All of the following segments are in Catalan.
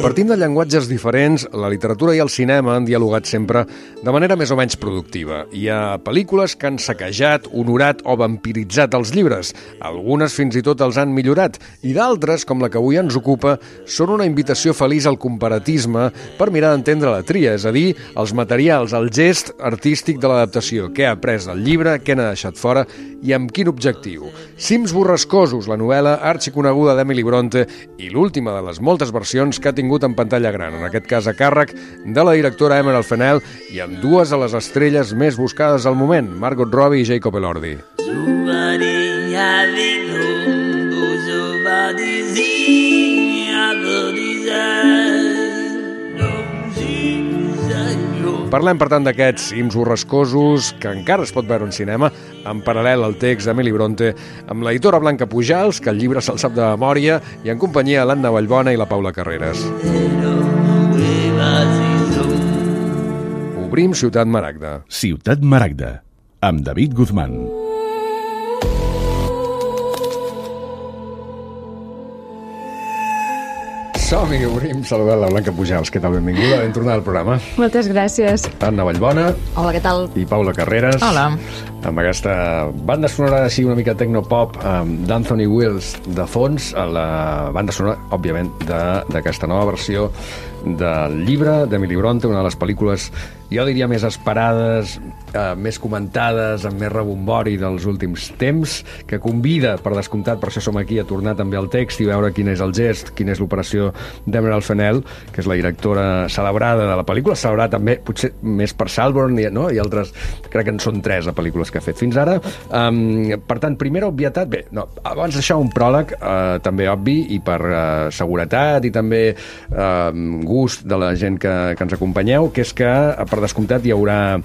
Partint de llenguatges diferents, la literatura i el cinema han dialogat sempre de manera més o menys productiva. Hi ha pel·lícules que han saquejat, honorat o vampiritzat els llibres. Algunes fins i tot els han millorat, i d'altres, com la que avui ens ocupa, són una invitació feliç al comparatisme per mirar d'entendre la tria, és a dir, els materials, el gest artístic de l'adaptació, què ha après el llibre, què n'ha deixat fora i amb quin objectiu. Cims borrascosos, la novel·la arxiconeguda d'Emily Bronte i l'última de les moltes versions que ha tingut en pantalla gran, en aquest cas a càrrec de la directora Emerald Fennell i amb dues de les estrelles més buscades al moment, Margot Robbie i Jacob Elordi. Parlem, per tant, d'aquests cims borrascosos que encara es pot veure en cinema, en paral·lel al text d'Emily Bronte, amb l'editora Blanca Pujals, que el llibre se'l sap de memòria, i en companyia de l'Anna Vallbona i la Paula Carreras. Obrim Ciutat Maragda. Ciutat Maragda, amb David Guzmán. Som-hi, obrim saludant la Blanca Pujals. Què tal? Benvinguda, ben tornada al programa. Moltes gràcies. Anna Vallbona. Hola, què tal? I Paula Carreras. Hola. Amb aquesta banda sonora així una mica tecnopop d'Anthony Wills de fons, la banda sonora, òbviament, d'aquesta nova versió del llibre d'Emily Bronte, una de les pel·lícules, jo diria, més esperades, més comentades, amb més rebombori dels últims temps, que convida, per descomptat, per això som aquí, a tornar també al text i veure quin és el gest, quina és l'operació d'Emerald Fennell, que és la directora celebrada de la pel·lícula, celebrada també, potser més per Saltburn, no? I altres, crec que en són 3 de pel·lícules que ha fet fins ara. Per tant, primera obvietat, bé, no, abans d'això un pròleg també obvi, i per seguretat i també gust de la gent que ens acompanyeu, que és que, per descomptat, hi haurà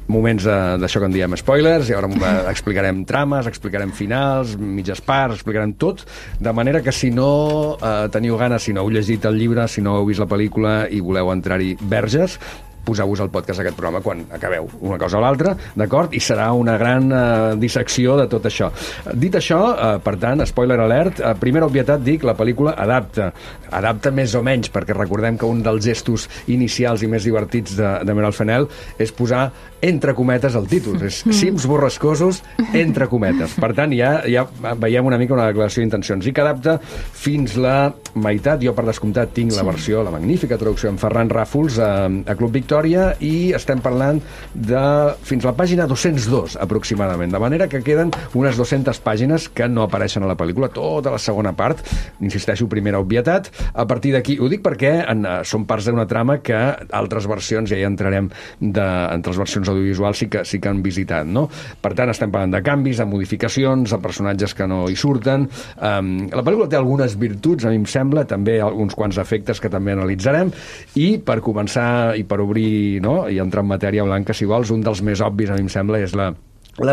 moments d'això que en diem spoilers, i ara explicarem trames, explicarem finals, mitges parts, explicarem tot, de manera que si no teniu ganes, si no heu llegit el llibre, si no heu vist la pel·lícula i voleu entrar-hi verges, poseu-vos al podcast aquest programa quan acabeu una cosa o l'altra, d'acord? I serà una gran dissecció de tot això. Dit això, per tant, spoiler alert, primera obvietat, dic, la pel·lícula adapta més o menys, perquè recordem que un dels gestos inicials i més divertits d'Emerald Fennell és posar entre cometes el títol, és cims borrascosos entre cometes. Per tant, ja veiem una mica una declaració d'intencions, i que adapta fins la meitat. Jo, per descomptat, tinc la versió, la magnífica traducció en Ferran Ràfols a Club Victòria, i estem parlant de fins la pàgina 202 aproximadament, de manera que queden unes 200 pàgines que no apareixen a la pel·lícula, tota la segona part, insisteixo, primera obvietat. A partir d'aquí, ho dic perquè són parts d'una trama que altres versions, ja hi entrarem, entre les versions audiovisuals sí que han visitat, no? Per tant, estem parlant de canvis, de modificacions, de personatges que no hi surten. La pel·lícula té algunes virtuts, a mi em sembla, també alguns quants efectes que també analitzarem, i per començar i per obrir, no?, i entrar en matèria, Blanca, si vols, un dels més obvis, a mi em sembla, és la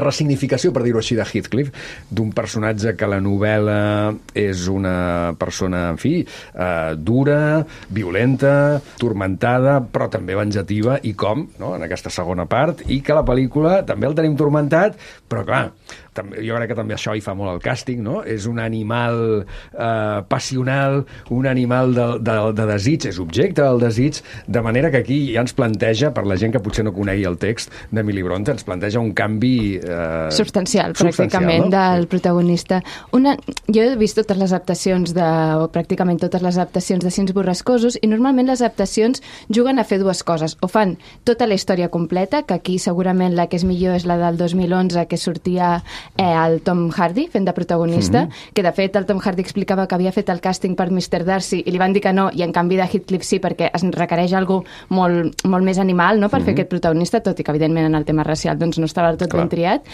ressignificació, per dir-ho així, de Heathcliff, d'un personatge que a la novel·la és una persona, en fi, dura, violenta, turmentada, però també venjativa, i com, no?, en aquesta segona part, i que a la pel·lícula també el tenim turmentat, però clar, jo crec que també això hi fa molt el càsting, no? És un animal passional, un animal de desig, és objecte del desig, de manera que aquí ja ens planteja, per la gent que potser no conegui el text d'Emily Bronte, ens planteja un canvi substancial, pràcticament, no?, del protagonista. Jo he vist totes les adaptacions o pràcticament totes les adaptacions de Cims borrascosos, i normalment les adaptacions juguen a fer dues coses, o fan tota la història completa, que aquí segurament la que és millor és la del 2011, que sortia el Tom Hardy fent de protagonista, que de fet el Tom Hardy explicava que havia fet el càsting per Mr. Darcy i li van dir que no, i en canvi de Heathcliff sí, perquè es requereix algú molt més animal, no?, per fer aquest protagonista, tot i que evidentment en el tema racial doncs no estava del tot ben triat.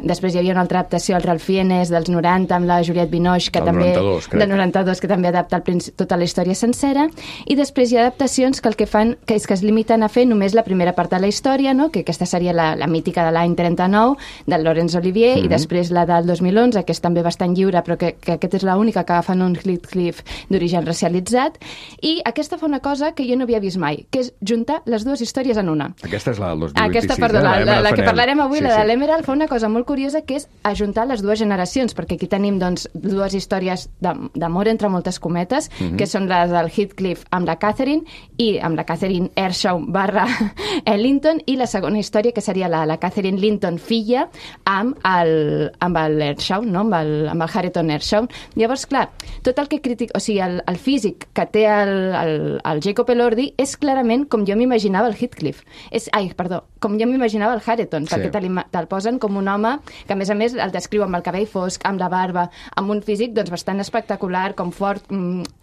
Després hi havia una altra adaptació, el Ralph Fiennes dels 90, amb la Juliette Binoche, que també 92, que també adapta tota la història sencera, i després hi ha adaptacions que el que fan és que es limiten a fer només la primera part de la història, no?, que aquesta seria la mítica de l'any 39 del Laurence Olivier, i després la del 2011, que és també bastant lliure, però que aquesta és l'única que agafen un Heathcliff d'origen racialitzat, i aquesta fa una cosa que jo no havia vist mai, que és juntar les dues històries en una. Aquesta és la del 2026. Aquesta, perdó, la que parlarem avui, la de l'Emerald, fa una cosa molt curiosa, que és ajuntar les dues generacions, perquè aquí tenim doncs, dues històries d'amor entre moltes cometes, que són les del Heathcliff amb la Catherine, i amb la Catherine Earnshaw / Linton, i la segona història, que seria la Catherine Linton filla amb el Earnshaw, no? amb el Hareton Earnshaw. Llavors, clar, tot el que critica, o sigui, el físic que té el Jacob Elordi és clarament com jo m'imaginava el Heathcliff. Com jo m'imaginava el Hareton, perquè te'l posen com un home que, a més, el descriu amb el cabell fosc, amb la barba, amb un físic doncs, bastant espectacular, com fort,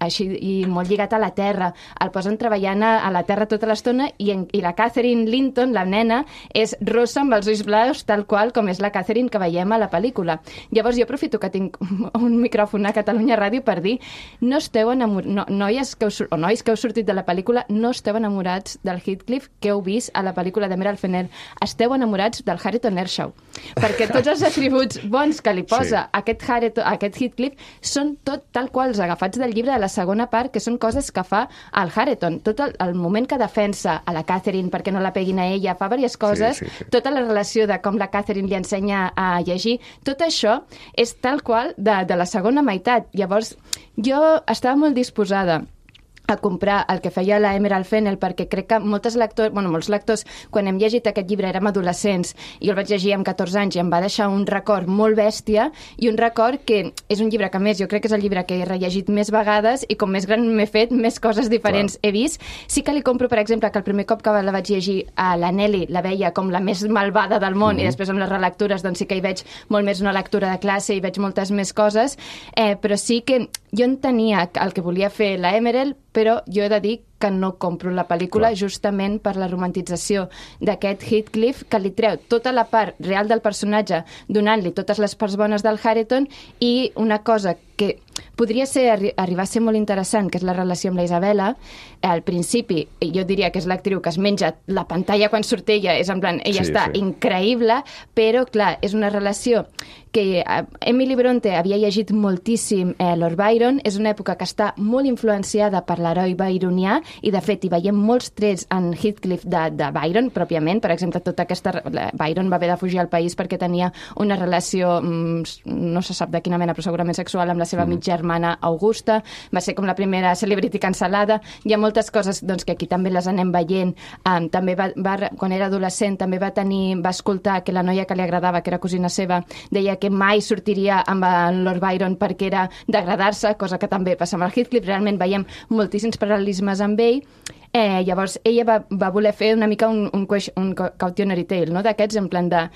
així, i molt lligat a la terra. El posen treballant a la terra tota l'estona, i la Catherine Linton, la nena, és rossa amb els ulls blaus, tal qual com és la Catherine que veiem a la pel·lícula. Llavors jo aprofito que tinc un micròfon a Catalunya Ràdio per dir, no esteu nois que heu sortit de la pel·lícula, no esteu enamorats del Heathcliff que heu vist a la pel·lícula d'Emerald Fennell, esteu enamorats del Hareton Earnshaw, perquè tots els atributs bons que li posa aquest Heathcliff són tot tal qual els agafats del llibre de la segona part, que són coses que fa el Hareton. Tot el moment que defensa a la Catherine perquè no la peguin a ella, fa diverses coses, tota la relació de com la Catherine li ensenya a llegir, tot això és tal qual de la segona meitat. Llavors, jo estava molt disposada a comprar el que feia la Emerald Fennell, perquè crec que molts lectors, quan hem llegit aquest llibre érem adolescents, i jo el vaig llegir amb 14 anys i em va deixar un record molt bèstia, i un record que és un llibre que, a més, jo crec que és el llibre que he rellegit més vegades, i com més gran m'he fet, més coses diferents he vist. Sí que li compro, per exemple, que el primer cop que la vaig llegir a la Nelly la veia com la més malvada del món, i després amb les relectures doncs sí que hi veig molt més una lectura de classe i veig moltes més coses, però sí que jo entenia el que volia fer la Emerald, però jo he de dir que no compro la pel·lícula justament per la romantització d'aquest Heathcliff, que li treu tota la part real del personatge, donant-li totes les parts bones del Hareton, i una cosa que podria arribar a ser molt interessant, que és la relació amb la Isabella. Al principi, jo diria que és l'actriu que es menja la pantalla quan surt ella, és en plan, ella està increïble, però, clar, és una relació que Emily Bronte havia llegit moltíssim Lord Byron, és una època que està molt influenciada per l'heroi byronià, i de fet hi veiem molts trets en Heathcliff de Byron pròpiament. Per exemple, tota aquesta... Byron va haver de fugir al país perquè tenia una relació, no se sap de quina mena, però segurament sexual, amb la seva mitgermana Augusta. Va ser com la primera celebrity cancel·lada. Hi ha moltes coses doncs, que aquí també les anem veient. També quan era adolescent també va escoltar que la noia que li agradava, que era cosina seva, deia que mai sortiria amb el Lord Byron perquè era d'agradar-se, cosa que també passa amb el Heathcliff. Realment veiem moltíssims paral·lelismes amb ell. Llavors ella va voler fer una mica un cautionary tale, no? D'aquests, en plan de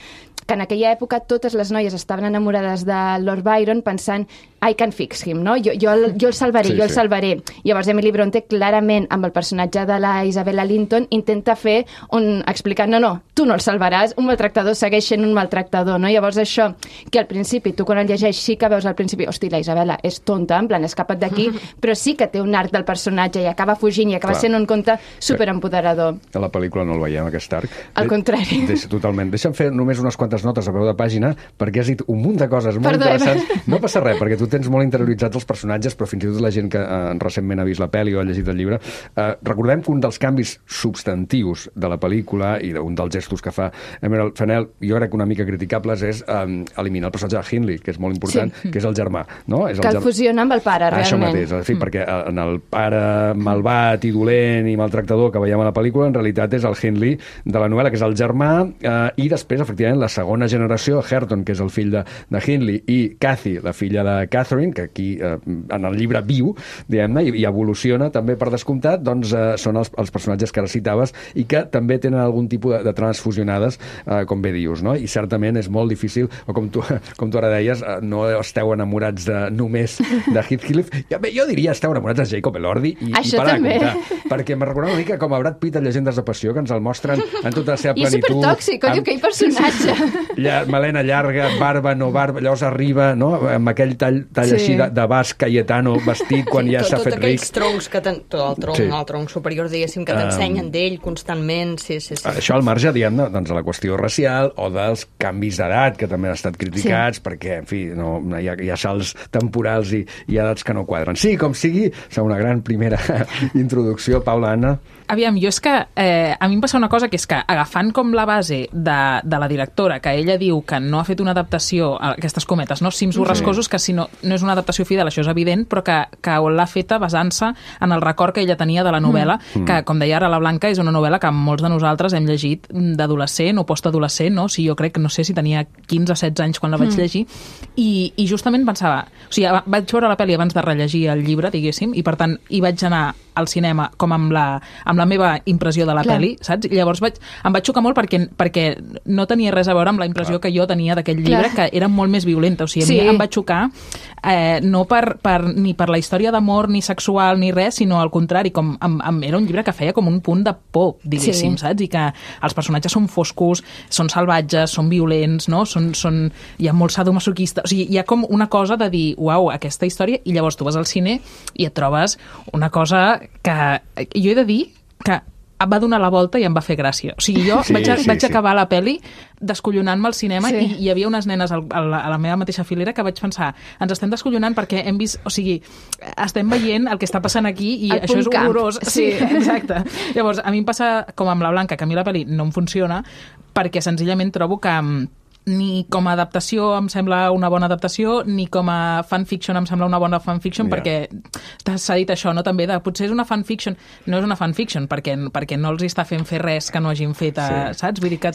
que en aquella època totes les noies estaven enamorades de Lord Byron pensant I can fix him, no? Jo el salvaré, el salvaré. Llavors Emily Bronte clarament amb el personatge de la Isabella Linton intenta fer explicant, no, tu no el salvaràs, un maltractador segueix sent un maltractador, no? Llavors això, que al principi, tu quan el llegeix sí que veus al principi, hosti, la Isabella és tonta, en plan, escapa't d'aquí, però sí que té un arc del personatge i acaba fugint i acaba sent un conte superempoderador. A la pel·lícula no el veiem, aquest arc. Al contrari. Totalment. Deixa'm fer només unes quantes notes a peu de pàgina, perquè has dit un munt de coses molt interessants. No passa res, perquè tu tens molt interioritzats els personatges, però fins i tot la gent que recentment ha vist la pel·li o ha llegit el llibre. Recordem que un dels canvis substantius de la pel·lícula i un dels gestos que fa Emerald Fennell, jo crec que una mica criticables, és eliminar el personatge de Hindley, que és molt important, que és el germà. No? És que el fusiona amb el pare, realment. Això mateix, perquè en el pare malvat i dolent i maltractador que veiem a la pel·lícula, en realitat és el Hindley de la novel·la, que és el germà, i després, efectivament, la segona generació, Hareton, que és el fill de Hindley, i Cathy, la filla de Catherine, que aquí en el llibre viu, diguem-ne, i evoluciona també per descomptat, doncs són els personatges que ara citaves i que també tenen algun tipus de transfusionades, com bé dius, no? I certament és molt difícil, o com tu ara deies, no esteu enamorats només de Heathcliff. Jo diria esteu enamorats de Jacob Elordi i parar de comptar, perquè me recorda una mica com a Brad Pitt a Llegendes de Passió, que ens el mostren en tota la seva plenitud. I és supertòxic, aquell personatge. melena llarga, barba, no barba, llavors arriba, no?, amb aquell tall així de basc Cayetano vestit quan ja s'ha fet ric. Tots aquells troncs que el tronc superior, diguéssim, que t'ensenyen d'ell constantment, sí. Això al marge, diguem, doncs, de la qüestió racial o dels canvis d'edat, que també han estat criticats, perquè, en fi, hi ha salts temporals i edats que no quadren. Sí, com sigui, és una gran primera introducció. Paula, Anna? Aviam, jo és que a mi em passa una cosa, que és que agafant com la base de la directora, que ella diu que no ha fet una adaptació, aquestes cometes, no? Cims borrascosos, que si no és una adaptació fidel, això és evident, però que l'ha feta basant-se en el record que ella tenia de la novel·la, que, com deia ara la Blanca, és una novel·la que molts de nosaltres hem llegit d'adolescent o postadolescent, no? O sigui, jo crec que no sé si tenia 15 o 16 anys quan la vaig llegir, i justament pensava... O sigui, vaig veure la pel·li abans de rellegir el llibre, diguéssim, i per tant hi vaig anar al cinema com amb la meva impressió de la pel·li, saps? I llavors em vaig xocar molt perquè no tenia res a veure amb la impressió que jo tenia d'aquell llibre, que era molt més violenta. O sigui, a mi em va xocar no ni per la història d'amor, ni sexual, ni res, sinó al contrari, era un llibre que feia com un punt de por, diguéssim, saps? I que els personatges són foscos, són salvatges, són violents, no? Hi ha molt sadomasoquista. O sigui, hi ha com una cosa de dir, uau, aquesta història, i llavors tu vas al cine i et trobes una cosa que jo he de dir que em va donar la volta i em va fer gràcia. O sigui, jo vaig acabar la pel·li descollonant-me al cinema i hi havia unes nenes a la meva mateixa filera que vaig pensar, ens estem descollonant perquè hem vist, o sigui, estem veient el que està passant aquí i això és horrorós. Sí, exacte. Llavors, a mi em passa com amb la Blanca, que a mi la pel·li no em funciona perquè senzillament trobo que ni com a adaptació em sembla una bona adaptació, ni com a fanfiction em sembla una bona fanfiction, perquè s'ha dit això, no? També potser és una fanfiction. No és una fanfiction, perquè no els està fent fer res que no hagin fet, saps? Vull dir que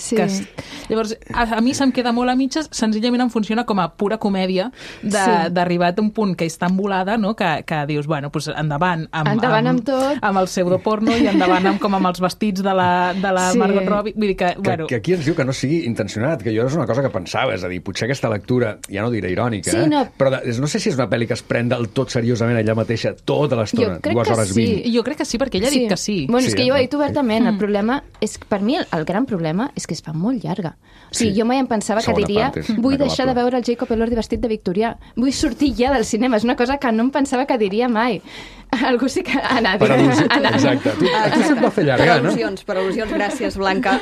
llavors, a mi se'm queda molt a mitges, senzillament em funciona com a pura comèdia d'arribar a un punt que és tan volada, no? Que dius, bueno, doncs endavant amb tot, amb el pseudoporno i endavant amb els vestits de la Margot Robbie. Vull dir que aquí ens diu que no sigui intencionat, que jo és una cosa que pensava, és a dir, potser aquesta lectura, ja no diré irònica, però no sé si és una pel·li que es pren del tot seriosament ella mateixa tota l'estona, 2 hores 20. Jo crec que sí, perquè ella ha dit que sí. Bueno, és que jo ho he dit obertament. El problema és que, per mi, el gran problema és que es fa molt llarga. O sigui, jo mai em pensava que diria vull deixar de veure el Jacob Elordi vestit de victorià. Vull sortir ja del cinema. És una cosa que no em pensava que diria mai. Algú sí que... Exacte. Tu se't va fer llargar, no? Per al·lusions, gràcies, Blanca.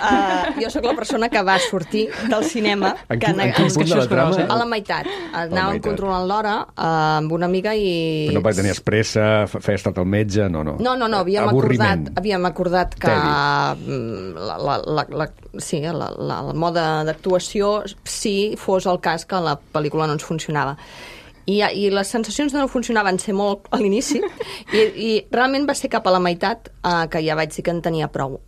Jo sóc la persona que va sortir del cinema en quin punt de la trama? A la meitat. Anàvem controlant l'hora amb una amiga i... Però no tenies pressa, feies estat al metge, no. No, havíem acordat que el mode d'actuació, si fos el cas que la pel·lícula no ens funcionava. I les sensacions de no funcionar van ser molt a l'inici i realment va ser cap a la meitat que ja vaig dir que en tenia prou.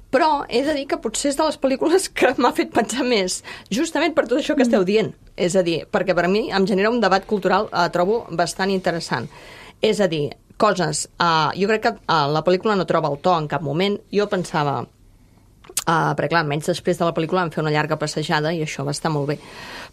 Però he de dir que potser és de les pel·lícules que m'ha fet pensar més, justament per tot això que esteu dient. És a dir, perquè per a mi em genera un debat cultural, trobo bastant interessant. És a dir, coses... jo crec que la pel·lícula no troba el to en cap moment. Jo pensava... perquè clar, menys després de la pel·lícula vam fer una llarga passejada i això va estar molt bé.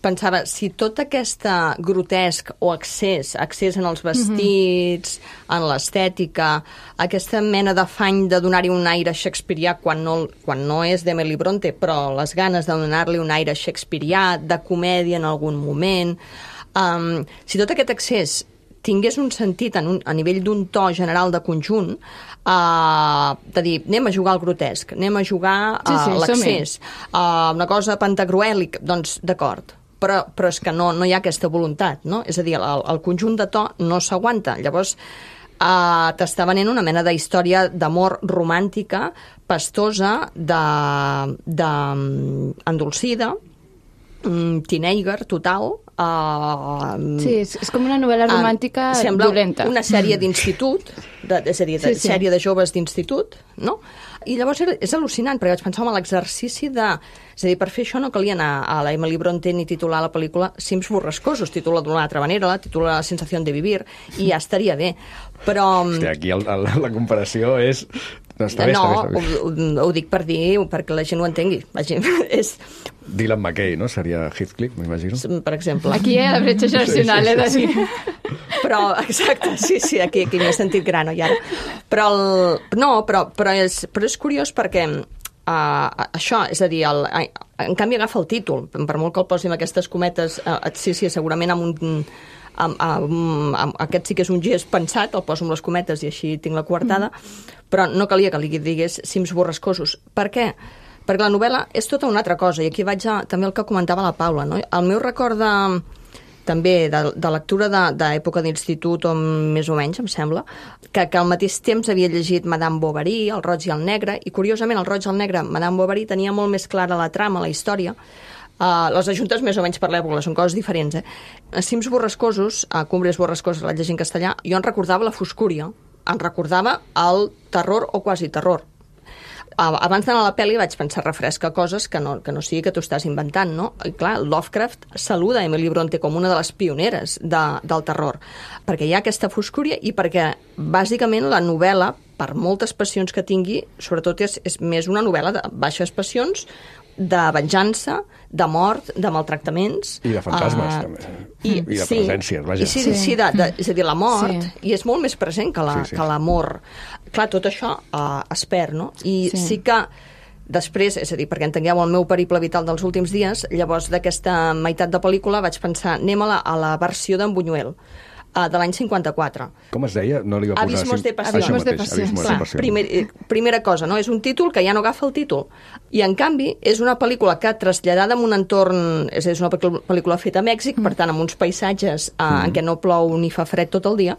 Pensava, si tot aquest grotesc o accés en els vestits, en l'estètica, aquesta mena d'afany de donar-hi un aire shakespearià quan no és d'Emily Bronte, però les ganes de donar-li un aire shakespearià, de comèdia en algun moment, si tot aquest accés tingués un sentit a nivell d'un to general de conjunt, de dir, anem a jugar al grotesc, anem a jugar a l'accés, una cosa pantagruèlica, doncs d'acord, però és que no hi ha aquesta voluntat, no? És a dir, el conjunt de to no s'aguanta. Llavors, t'està venent una mena d'història d'amor romàntica, pastosa, endolcida, teenager total. Sí, és com una novel·la romàntica dolenta. Sembla una sèrie d'institut, és a dir, sèrie de joves d'institut, no? I llavors és al·lucinant, perquè vaig pensar en l'exercici de... És a dir, per fer això no calia anar a la Emily Bronte ni titular la pel·lícula Cims borrascosos, titula d'una altra manera, la titula La sensació de vivir, i ja estaria bé. Però... Hòstia, aquí la comparació és... Està bé. Ho dic per dir, perquè la gent ho entengui. És... Dylan McKay, no? Seria Heathcliff, m'imagino. Per exemple. Aquí hi ha la bretxa generacional, he de dir. Però, exacte, sí, aquí m'he sentit gran, oi ara? Però és curiós perquè això, és a dir, en canvi agafa el títol, per molt que el posi amb aquestes cometes, sí, segurament aquest sí que és un gest pensat, el poso amb les cometes i així tinc la coartada, però no calia que li digués cims borrascosos. Per què? Perquè la novel·la és tota una altra cosa, i aquí vaig també el que comentava la Paula, no? El meu record també de lectura d'època d'institut, o més o menys, em sembla, que al mateix temps havia llegit Madame Bovary, El roig i el negre, i curiosament El roig i el negre, Madame Bovary, tenia molt més clara la trama, la història. Les ajuntes més o menys per l'època, són coses diferents. Cims borrascosos, Cumbres borrascoses, la llegir en castellà, jo en recordava la foscúria, en recordava el terror o quasi terror. Abans d'anar a la pel·li vaig pensar refresca coses que no sigui que t'ho estàs inventant, no? I clar, Lovecraft saluda Emily Bronte com una de les pioneres del terror, perquè hi ha aquesta foscúria i perquè, bàsicament, la novel·la, per moltes passions que tingui, sobretot és més una novel·la de baixes passions, de venjança, de mort, de maltractaments. I de fantasmes, també. I de presències, vaja. Sí, és a dir, la mort, i és molt més present que l'amor. Clar, tot això es perd, no? I sí que després, és a dir, perquè entengueu el meu periple vital dels últims dies, llavors d'aquesta meitat de pel·lícula vaig pensar, anem a la versió d'en Buñuel, de l'any 54. Com es deia? No li va posar... Abismos de Passions. Això mateix, Abismos de Passions. Primera cosa, no? És un títol que ja no agafa el títol. I, en canvi, és una pel·lícula que, traslladada en un entorn... És una pel·lícula feta a Mèxic, per tant, amb uns paisatges en què no plou ni fa fred tot el dia,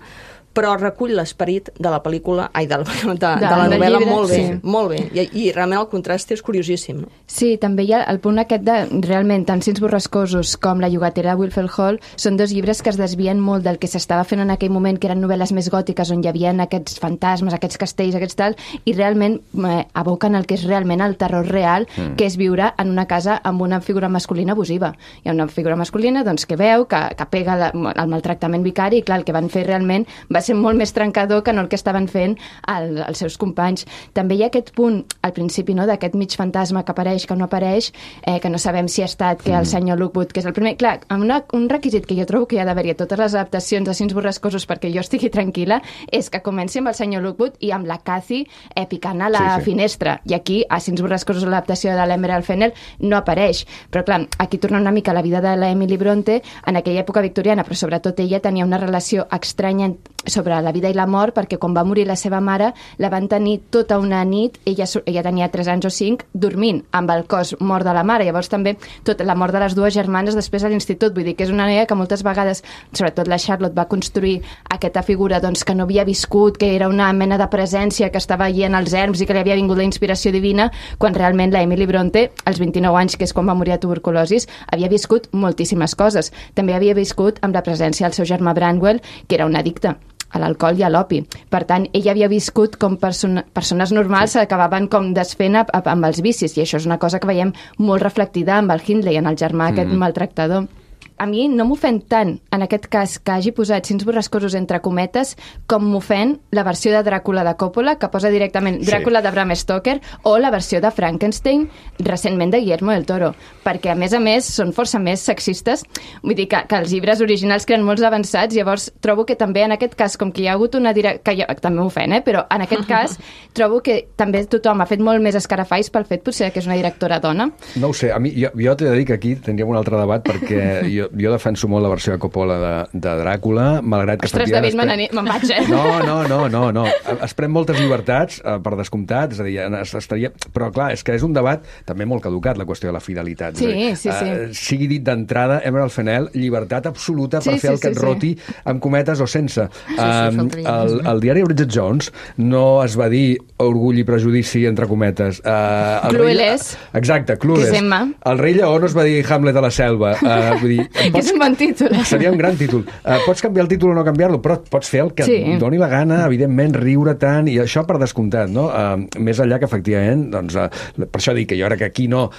però recull l'esperit de la pel·lícula, de la novel·la molt bé, molt bé. I realment el contrast és curiosíssim. No? Sí, també hi ha el punt aquest de, realment, tant Cims borrascosos com La llogatera de Wilfred Hall són dos llibres que es desvien molt del que s'estava fent en aquell moment, que eren novel·les més gòtiques, on hi havia aquests fantasmes, aquests castells, aquests tal, i realment aboquen el que és realment el terror real, que és viure en una casa amb una figura masculina abusiva. Hi ha una figura masculina doncs, que veu, que pega el maltractament vicari, i clar, el que van fer realment va ser molt més trencador que no el que estaven fent els seus companys. També hi ha aquest punt, al principi, no, d'aquest mig fantasma que apareix, que no apareix, que no sabem si ha estat que el senyor Lockwood, que és el primer... Clar, un requisit que jo trobo que hi ha d'haver-hi a totes les adaptacions de Cims borrascosos perquè jo estigui tranquil·la, és que comenci amb el senyor Lockwood i amb la Cathy picant a la finestra. I aquí, a Cims borrascosos, l'adaptació de l'Emerald Fennell no apareix. Però clar, aquí torna una mica la vida de l'Emily Bronte en aquella època victoriana, però sobretot ella tenia una relació estranya sobre la vida i la mort, perquè quan va morir la seva mare la van tenir tota una nit, ella tenia 3 anys o 5, dormint amb el cos mort de la mare. Llavors també tota la mort de les dues germanes després a l'institut. Vull dir que és una noia que moltes vegades, sobretot la Charlotte, va construir aquesta figura doncs, que no havia viscut, que era una mena de presència que estava allí en els erms i que li havia vingut la inspiració divina, quan realment la Emily Bronte, als 29 anys, que és quan va morir de tuberculosis, havia viscut moltíssimes coses. També havia viscut amb la presència del seu germà Branwell, que era un addicte a l'alcohol i a l'opi. Per tant, ella havia viscut com persones normals acabaven com desfent amb els vicis, i això és una cosa que veiem molt reflectida amb el Hindley, en el germà aquest maltractador. A mi no m'ofèn tant, en aquest cas, que hagi posat Cims borrascosos entre cometes, com m'ofèn la versió de Dràcula de Coppola, que posa directament Dràcula de Bram Stoker, o la versió de Frankenstein, recentment de Guillermo del Toro, perquè, a més, són força més sexistes. Vull dir que els llibres originals creen molts avançats, llavors trobo que també, en aquest cas, com que hi ha hagut una que també m'ofèn, però en aquest cas trobo que també tothom ha fet molt més escarafalls pel fet, potser, que és una directora dona. No ho sé, a mi, jo t'he de dir que aquí tindríem un altre debat, perquè jo defenso molt la versió de Coppola de Dràcula, malgrat que... Ostres, David, me'n vaig, No. Es pren moltes llibertats, per descomptat, és a dir, estaria... Però, clar, és que és un debat també molt caducat, la qüestió de la fidelitat. Sí. Sigui dit d'entrada, Emerald Fennell, llibertat absoluta per fer el que et roti, amb cometes o sense. El diari Bridget Jones no es va dir Orgull i prejudici, entre cometes. Clueless. Exacte, Clueless. El rei lleó no es va dir Hamlet a la selva. Vull dir, que és un bon títol. Seria un gran títol. Pots canviar el títol o no canviar-lo, però pots fer el que et doni la gana, evidentment, riure tant, i això per descomptat, no? Més enllà que, efectivament, doncs, per això dic que jo crec que aquí no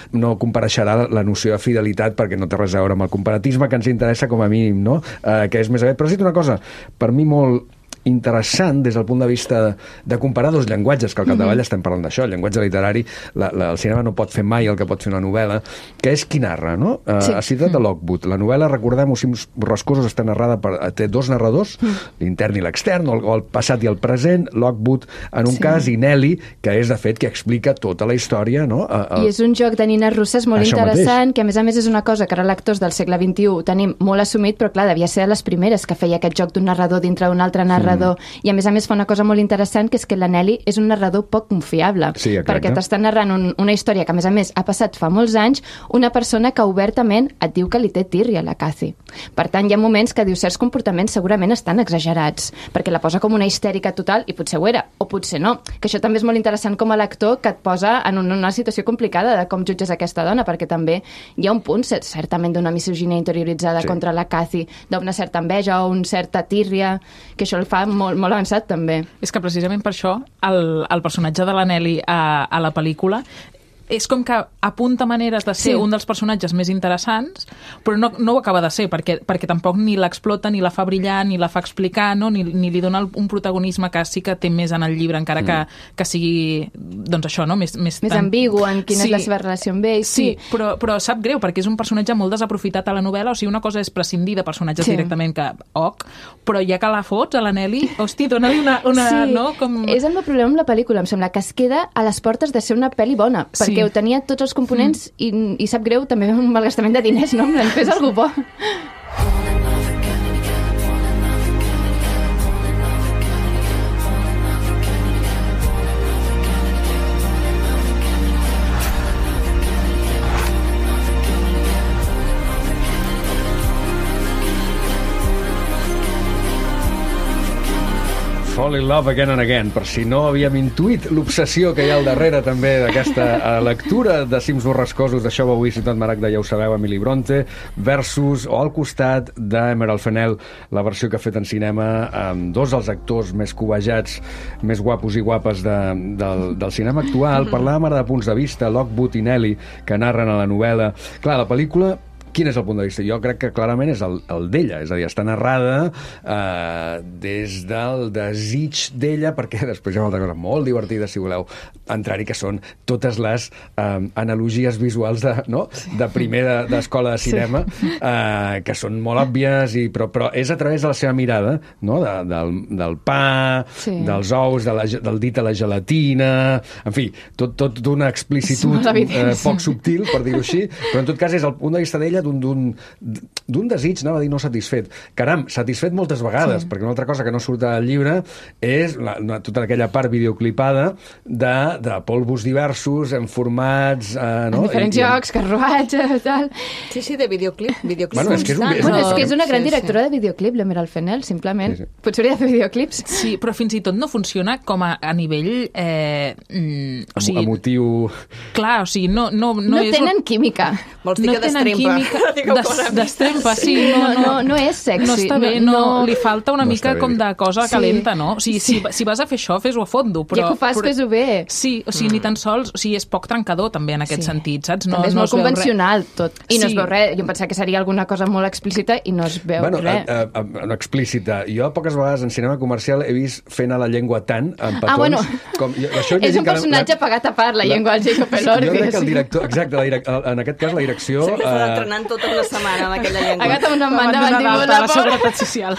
compareixerà la noció de fidelitat, perquè no té res a veure amb el comparatisme que ens interessa com a mínim, no? Que és més aviat. Però has dit una cosa, per mi molt interessant des del punt de vista de comparar dos llenguatges, que al capdavall estem parlant d'això, el llenguatge literari, el cinema no pot fer mai el que pot fer una novel·la, que és qui narra, no? Ha citat de Lockwood. La novel·la, recordem-ho, Cims borrascosos, està narrada té dos narradors, l'intern i l'extern, o el passat i el present, Lockwood en un cas, i Nelly, que és, de fet, que explica tota la història, no? I és un joc de nines russes molt interessant, que a més és una cosa que ara lectors del segle XXI ho tenim molt assumit, però clar, devia ser de les primeres que feia aquest joc d'un narrador dintre d'un altre narrador, i a més fa una cosa molt interessant, que és que la Nelly és un narrador poc confiable, perquè t'està narrant una història que a més ha passat fa molts anys, una persona que obertament et diu que li té tirria a la Cathy. Per tant, hi ha moments que diu certs comportaments segurament estan exagerats, perquè la posa com una histèrica total, i potser ho era, o potser no, que això també és molt interessant com a lector, que et posa en una situació complicada de com jutges aquesta dona, perquè també hi ha un punt certament d'una misoginia interioritzada contra la Cathy, d'una certa enveja o una certa tírria, que això el fa molt avançat també. És que precisament per això el personatge de la Nelly a la pel·lícula és com que apunta maneres de ser un dels personatges més interessants, però no ho acaba de ser, perquè tampoc ni l'explota, ni la fa brillar, ni la fa explicar, no? ni li dona un protagonisme que sí que té més en el llibre, encara que sigui, doncs això, no? Més ambigu en quina és la seva relació amb ell. Sí, però sap greu, perquè és un personatge molt desaprofitat a la novel·la, o sigui, una cosa és prescindir de personatges directament, que però ja que la fots a la Nelly, hosti, dona-li una no? Com... És el meu problema amb la pel·lícula, em sembla, que es queda a les portes de ser una pel·li bona, perquè ho tenia tots els components i sap greu també un malgastament de diners, no? Fes algú bo. Fall in Love Again and Again, per si no havíem intuït l'obsessió que hi ha al darrere també d'aquesta lectura de Cims borrascosos, d'això va avui Ciutat Maragda, ja ho sabeu, Emily Bronte, versus, o al costat d'Emerald Fennell, la versió que ha fet en cinema amb dos dels actors més cobejats, més guapos i guapes del cinema actual. Parlàvem ara de punts de vista, Lockwood i Nelly, que narren a la novel·la. Clar, la pel·lícula, quin és el punt de vista? Jo crec que clarament és el d'ella, és a dir, està narrada des del desig d'ella, perquè després hi ha una altra cosa molt divertida, si voleu entrar-hi, que són totes les analogies visuals de primer d'escola de cinema, que són molt òbvies, però és a través de la seva mirada, no? Del pa, dels ous, del dit a la gelatina, en fi, tot d'una explicitud poc subtil, per dir-ho així, però en tot cas és el punt de vista d'ella d'un desig, anava a dir no satisfet. Caram, satisfet moltes vegades, perquè una altra cosa que no surt al llibre és tota aquella part videoclipada de polvos diversos, en formats... en diferents jocs, carruatges, tal... Sí, de videoclip. Bueno, és que és una gran directora de videoclip, l'Emerald Fennell, simplement. Potser hauria de fer videoclips. Sí, però fins i tot no funciona com a nivell... emotiu... Clar, o sigui, no és... tenen química. Vols dir que destrempa? Destrempa, sí. No és sexy. No està bé, li falta una mica com de cosa calenta, no? O sigui, si vas a fer això, fes-ho a fondo. Ja que ho fas, fes-ho bé. Sí, o sigui, ni tan sols... O sigui, és poc trencador, també, en aquest sentit, saps? També és molt convencional, tot. I no es veu res. Jo em pensava que seria alguna cosa molt explícita i no es veu res. No explícita. Jo poques vegades en cinema comercial he vist fent a la llengua tant, en petons... És un personatge pagat a part, la llengua del Jacob Elordi. Jo crec que el director... Exacte, en aquest cas la direcció... Entrenant tota una setmana amb aquella llengua. Agata una mandíbula de la Seguretat Social.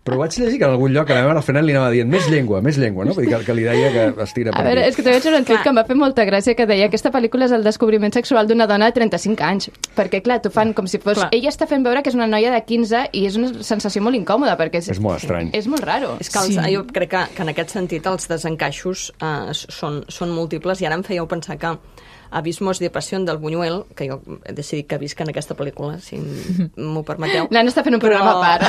Però vaig llegir que en algun lloc al final li anava dient més llengua, no? Vull dir que li deia que estira per aquí. A veure, és que també vaig veure un tuit que em va fer molta gràcia, que deia aquesta pel·lícula és el descobriment sexual d'una dona de 35 anys. Perquè, clar, t'ho fan com si fos... Clar. Ella està fent veure que és una noia de 15 i és una sensació molt incòmoda, perquè és molt estrany. És molt raro. És que jo crec que en aquest sentit els desencaixos són múltiples, i ara em fèieu pensar que Abismos de Pasión del Buñuel, que jo he decidit que visc en aquesta pel·lícula, si m'ho permeteu. L'Anna està fent un programa a part.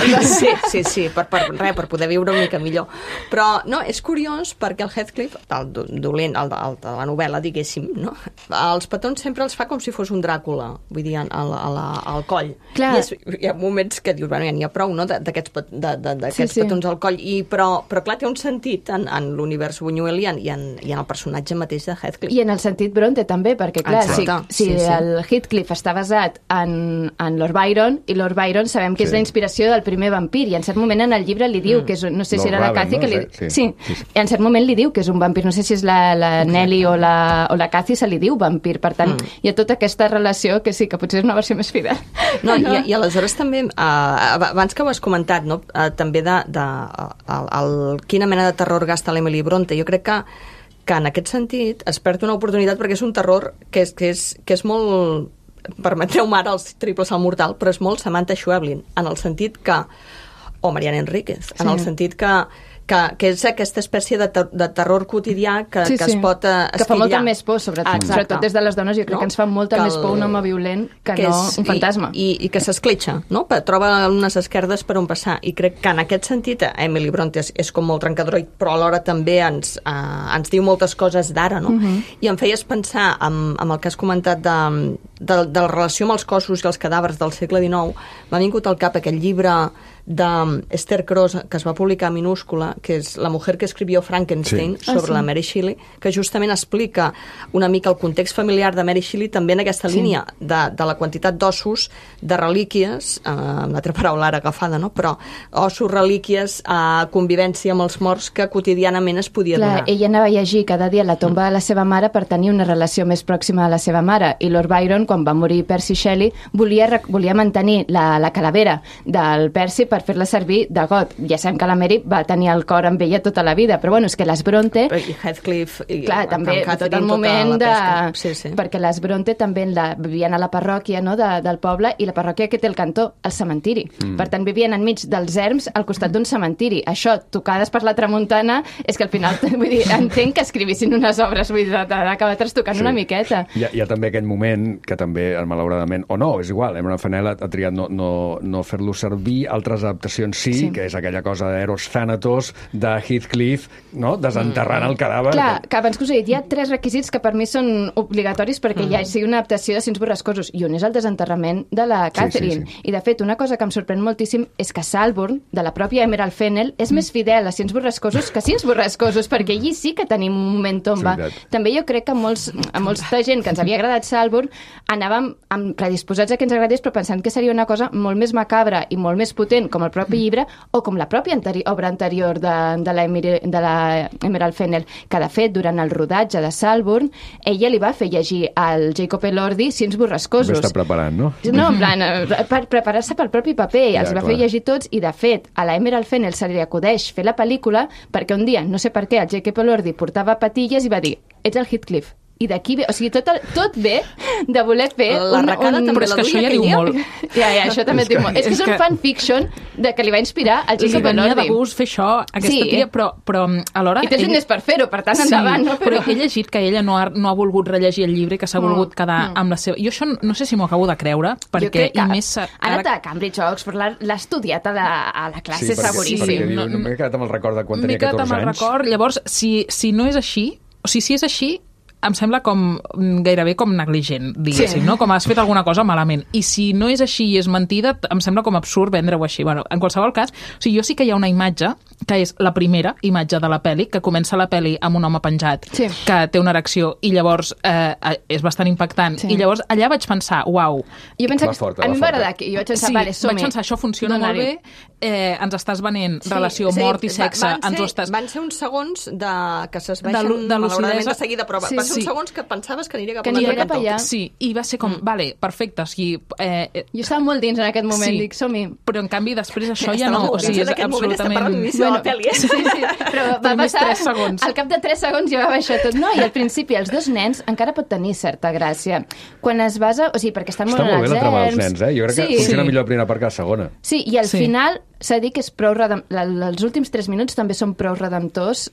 Sí, per poder viure una mica millor. Però, no, és curiós perquè el Heathcliff, el dolent, el de la novel·la, diguéssim, no? Els petons sempre els fa com si fos un Dràcula, vull dir, al coll. Clar. I hi ha moments que dius, bueno, ja n'hi ha prou, no?, d'aquests petons al coll, però clar, té un sentit en l'univers Buñuel i en el personatge mateix de Heathcliff. I en el sentit Bronte, també, perquè clar, si el Heathcliff està basat en Lord Byron, i Lord Byron sabem que és la inspiració del primer vampir, i en cert moment en el llibre li diu que és, no sé si era la Cathy, i en cert moment li diu que és un vampir, no sé si és la Nelly o la Cathy, se li diu vampir, per tant, hi ha tota aquesta relació que sí, que potser és una versió més fidel. No, i aleshores també, abans que ho has comentat, no? També quina mena de terror gasta l'Emily Bronte, jo crec que en aquest sentit es perd una oportunitat perquè és un terror que és molt, permetreu-me ara els triples al mortal, però és molt Samantha Schweblin, en el sentit que, o Mariana Enríquez, en el sentit que és aquesta espècie de terror quotidià que es pot esquillar. Que fa molta més por, sobretot des de les dones, jo crec que ens fa molta més por un home violent que no un fantasma. I que s'escletxa, no? Troba unes esquerdes per on passar. I crec que en aquest sentit Emily Bronte és com molt trencadora, però alhora també ens diu moltes coses d'ara, no? I em feies pensar amb el que has comentat de la relació amb els cossos i els cadàvers del segle XIX. M'ha vingut al cap aquell llibre d'Esther Cross, que es va publicar a minúscula, que és La mujer que escribió Frankenstein, sobre la Mary Shelley, que justament explica una mica el context familiar de Mary Shelley també en aquesta línia de la quantitat d'ossos, de relíquies, una altra paraula ara agafada, no? Però ossos, relíquies, convivència amb els morts que quotidianament es podia donar. Ella anava a llegir cada dia la tomba de la seva mare per tenir una relació més pròxima a la seva mare, i Lord Byron, quan va morir Percy Shelley, volia mantenir la calavera del Percy per fer-la servir de got. Ja sabem que la Mary va tenir el cor amb ella tota la vida, però bueno, és que les Bronte... I Heathcliff... Clar, també, tot el moment de... Perquè les Bronte també vivien a la parròquia, no?, del poble, i la parròquia que té el cantó, el cementiri. Per tant, vivien enmig dels erms al costat d'un cementiri. Això, tocades per la tramuntana, és que al final, vull dir, entenc que escrivissin unes obres, vull dir, d'acabar trastocant una miqueta. Hi ha també aquell moment que també, malauradament, o no, és igual, Emma Fennell ha triat no fer-lo servir, altres adaptacions que és aquella cosa d'Eros Thanatos, de Heathcliff, no?, desenterrant el cadàver. Clar, que abans que us he dit, hi ha 3 requisits que per mi són obligatoris perquè ja sigui una adaptació de Cims borrascosos, i un és el desenterrament de la Catherine. I de fet, una cosa que em sorprèn moltíssim és que Salbourne, de la pròpia Emerald Fennell, és més fidel a Cims borrascosos que Cims borrascosos, perquè allí sí que tenim un moment tomba. També jo crec que a molta gent que ens havia agradat Salbourne anàvem predisposats a que ens agradés, però pensant que seria una cosa molt més macabra i molt més potent, com el propi llibre, o com la pròpia obra anterior de la Emerald Fennell, que de fet, durant el rodatge de Salbourne, ella li va fer llegir al Jacob Elordi Cims borrascosos. Està preparant, no? No, en plan, per preparar-se pel propi paper, els va fer llegir tots, i de fet, a la Emerald Fennell se li acudeix fer la pel·lícula perquè un dia, no sé per què, el Jacob Elordi portava patilles i va dir, ets el Heathcliff. I d'aquí ve, o sigui, tot ve de voler fer la Racada també, però és que això ja diu molt. Ja, això també diu molt. És que és un fanfiction de que li va inspirar el Jacob Elordi. Li venia de gust fer això, aquesta tia, però alhora... I tens diners per fer-ho, per tant, endavant. No? Però he llegit que ella no ha volgut rellegir el llibre, que s'ha volgut quedar amb la seva... Jo això no sé si m'ho acabo de creure, perquè... Jo crec que ha anat a Cambridge o Oxford, l'ha estudiat a la classe, seguríssim. Sí, perquè m'he quedat amb el record de quan tenia 14 anys. M'he quedat amb el record, llavors, si no és així, o sigui, si és així, em sembla com gairebé com negligent, diguéssim, no? Com has fet alguna cosa malament. I si no és així i és mentida, em sembla com absurd vendre-ho així. Bueno, en qualsevol cas, o sigui, jo sí que hi ha una imatge, que és la primera imatge de la pel·li, que comença la pel·li amb un home penjat, que té una erecció, i llavors és bastant impactant. I llavors allà vaig pensar, uau. Jo penso que a mi m'agrada que jo vaig pensar, vale, som-hi. Vaig pensar, això funciona molt bé, ens estàs venent relació mort i sexe. Van ser uns segons que s'esbaixen malauradament de seguida, però va ser uns segons que pensaves que aniria cap a un altre cantó. Sí, i va ser com, vale, perfecte. O sigui, jo estava molt dins en aquest moment, dic, som-hi. Però en canvi després això ja no, o sigui, és absolutament... Però va passar, al cap de 3 segons ja va baixar tot. No, i al principi els 2 nens encara pot tenir certa gràcia. Quan es basa, o sigui, perquè estan molt en els erms... Està molt bé la trama dels nens, Jo crec que funciona millor la primera part que la segona. Sí, i al final s'ha dit que és prou els últims 3 minuts també són prou redemptors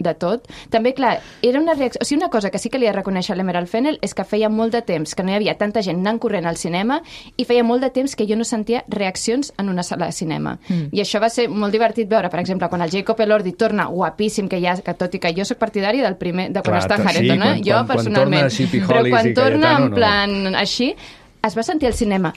de tot. També, clar, era una reacció... O sigui, una cosa que sí que li he de reconèixer a l'Emerald Fennell és que feia molt de temps que no hi havia tanta gent anant corrent al cinema i feia molt de temps que jo no sentia reaccions en una sala de cinema. I això va ser molt divertit veure, per exemple, quan el Jacob Elordi torna guapíssim, que tot i que jo soc partidari del primer, de quan està Harrington, jo personalment. Però quan torna en plan així, es va sentir al cinema...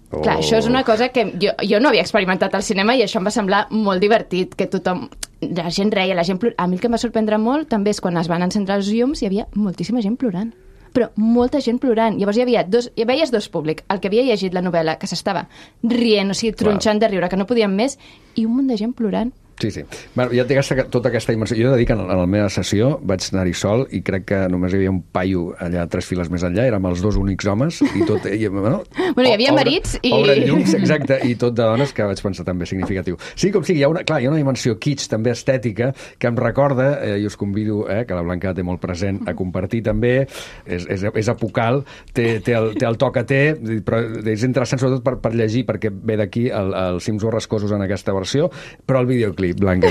Clar, això és una cosa que jo no havia experimentat al cinema i això em va semblar molt divertit, que tothom... La gent reia, la gent plorava. A mi el que em va sorprendre molt també és quan es van encendre els llums hi havia moltíssima gent plorant. però molta gent plorant. Llavors veies dos públics, el que havia llegit la novel·la, que s'estava rient, o sigui, tronxant de riure, que no podien més, i un munt de gent plorant. Sí. Bueno, ja té tota aquesta immersió. Jo he de dir que en la meva sessió vaig anar-hi sol i crec que només hi havia un paio allà 3 files més enllà, érem els 2 únics homes i tot... hi havia marits i... Obren llums, exacte, i tot de dones, que vaig pensar també significatiu. Sí, com sigui, hi ha una dimensió kitsch, també estètica, que em recorda, i us convido, que la Blanca té molt present, a compartir també, és apocal, té el to que té, però és interessant sobretot per llegir, perquè ve d'aquí els cims borrascosos en aquesta versió, però el videoclip, Blanca,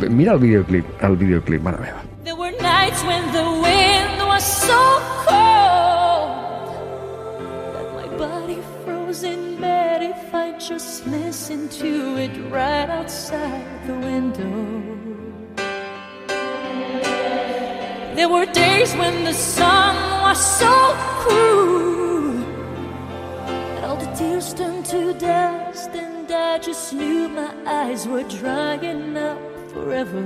mira el videoclip, mare meva. There were nights when the wind was so cold that my body froze in bed if I just listened to it right outside the window. There were days when the sun was so cruel that all the tears turned to dust, and I just knew my eyes were drying up forever.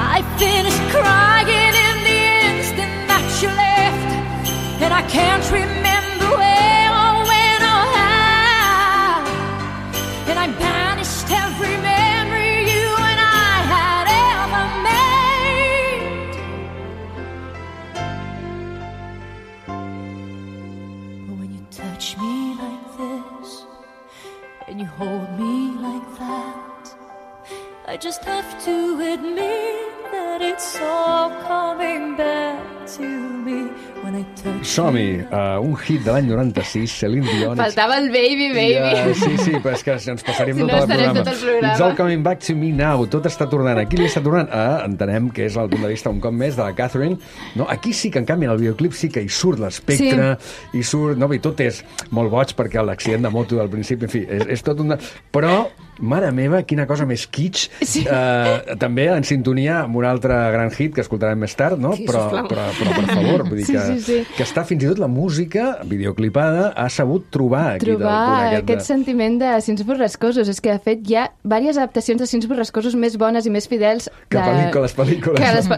I finished crying in the instant that you left, and I can't remember where or when or how, and I banished every memory you and I had ever made. But when you touch me like this and you hold me like that, I just have to admit that it's all coming back to me when I touch Som-hi, un hit de l'any 96, Celine Dion. Faltava el baby. Sí, però és que ens passaríem tot el programa. It's all coming back to me now. Tot està tornant. Aquí li està tornant entenem que és el punt de vista un cop més de la Catherine. No, aquí sí que, en canvi, en el videoclip sí que hi surt l'espectre, i surt... No, bé, tot és molt boig perquè l'accident de moto del principi, en fi, és tot un... Però, mare meva, quina cosa més kitsch. Sí. També en sintonia amb un altre gran hit que escoltarem més tard, no? Sí, però per favor, vull dir que està fins i tot la música videoclipada ha sabut trobar aquest sentiment de cims borrascosos. És que, de fet, hi ha diverses adaptacions de cims borrascosos més bones i més fidels que pel·lícules.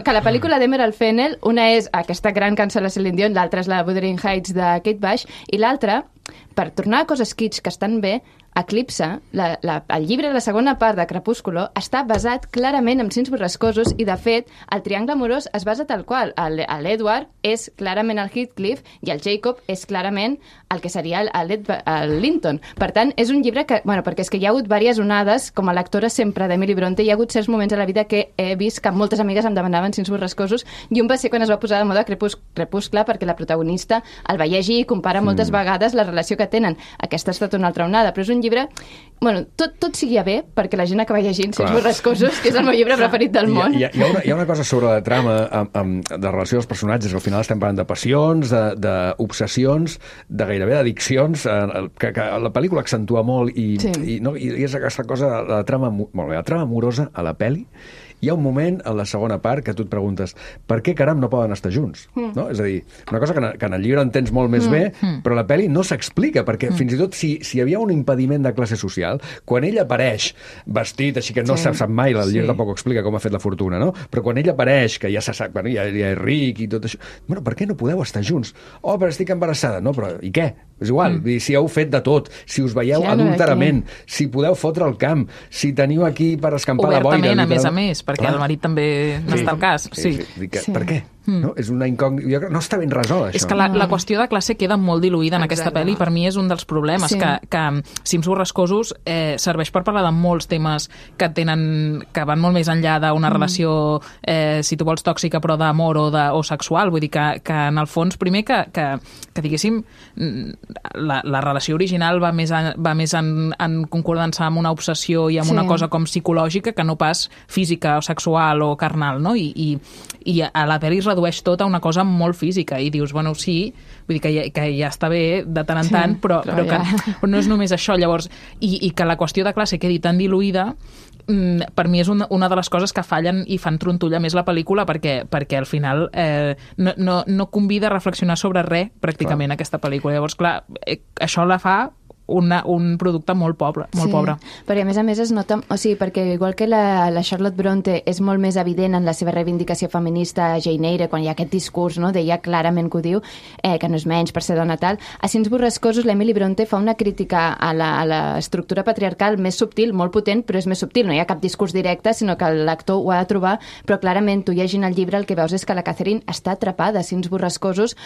Que la pel·lícula d'Emerald Fennell, una és aquesta gran cançó de la Celine Dion, l'altra és la Wuthering Heights de Kate Bush, i l'altra, per tornar a coses kitsch que estan bé, Eclipse, el llibre de la segona part de Crepúsculo, està basat clarament en cims borrascosos i, de fet, el triangle amorós es basa tal qual. L'Edward és clarament el Heathcliff i el Jacob és clarament el que seria el Linton. Per tant, és un llibre que... Bueno, perquè és que hi ha hagut diverses onades, com a lectora sempre d'Emily Bronte, hi ha hagut certs moments a la vida que he vist que moltes amigues em demanaven cims borrascosos, i un va ser quan es va posar de moda Crepuscle, perquè la protagonista el va llegir i compara moltes vegades la relació que tenen. Aquesta ha estat una altra onada, però és un llibre... Bueno, tot sigui bé perquè la gent acaba llegint cims borrascosos, que és el meu llibre preferit del món. Hi ha una cosa sobre la trama de relació dels personatges, que al final estem parlant de passions, d'obsessions, de gairebé d'addiccions, que la pel·lícula accentua molt i és aquesta cosa, la trama amorosa a la pel·li. Hi ha un moment, en la segona part, que tu et preguntes per què caram no poden estar junts? No? És a dir, una cosa que en el llibre entens molt més bé, però la pel·li no s'explica, perquè fins i tot si hi havia un impediment de classe social, quan ell apareix vestit, així que no sap mai, el llibre tampoc explica com ha fet la fortuna, no? Però quan ell apareix, que ja se sap, ja és ric i tot això, bueno, per què no podeu estar junts? Oh, però estic embarassada. No, però i què? És igual, si heu fet de tot, si us veieu adulterament, si podeu fotre el camp, si teniu aquí per escampar la boira... Obertament, a més, perquè el marit també no està al cas. Per què? No? És una incògnita. No està ben resolt, això. És que la qüestió de classe queda molt diluïda en aquesta pel·li, per mi és un dels problemes, que Cims borrascosos serveix per parlar de molts temes que van molt més enllà d'una relació, si tu vols, tòxica, però d'amor o sexual. Vull dir que en el fons, primer que diguéssim, la relació original va més en concordança amb una obsessió i amb una cosa com psicològica que no pas física o sexual o carnal, no? I a la pel·li es redueix tot a una cosa molt física i dius, bueno, sí, vull dir que ja està bé de tant en tant, però que no és només això. Llavors, i que la qüestió de classe quedi tan diluïda, per mi és una de les coses que fallen i fan trontolla més la pel·lícula, perquè al final no convida a reflexionar sobre res pràcticament aquesta pel·lícula. Llavors, clar, això la fa un producte molt pobre. Perquè a més es nota, o sigui, perquè igual que la Charlotte Bronte és molt més evident en la seva reivindicació feminista a Jane Eyre, quan hi ha aquest discurs, no, d'ella clarament que ho diu, que no és menys per ser dona tal, a Cims borrascosos l'Emily Bronte fa una crítica a l'estructura patriarcal més subtil, molt potent, però és més subtil, no hi ha cap discurs directe, sinó que l'actor ho ha de trobar, però clarament tu llegint el llibre el que veus és que la Catherine està atrapada a Cims borrascosos,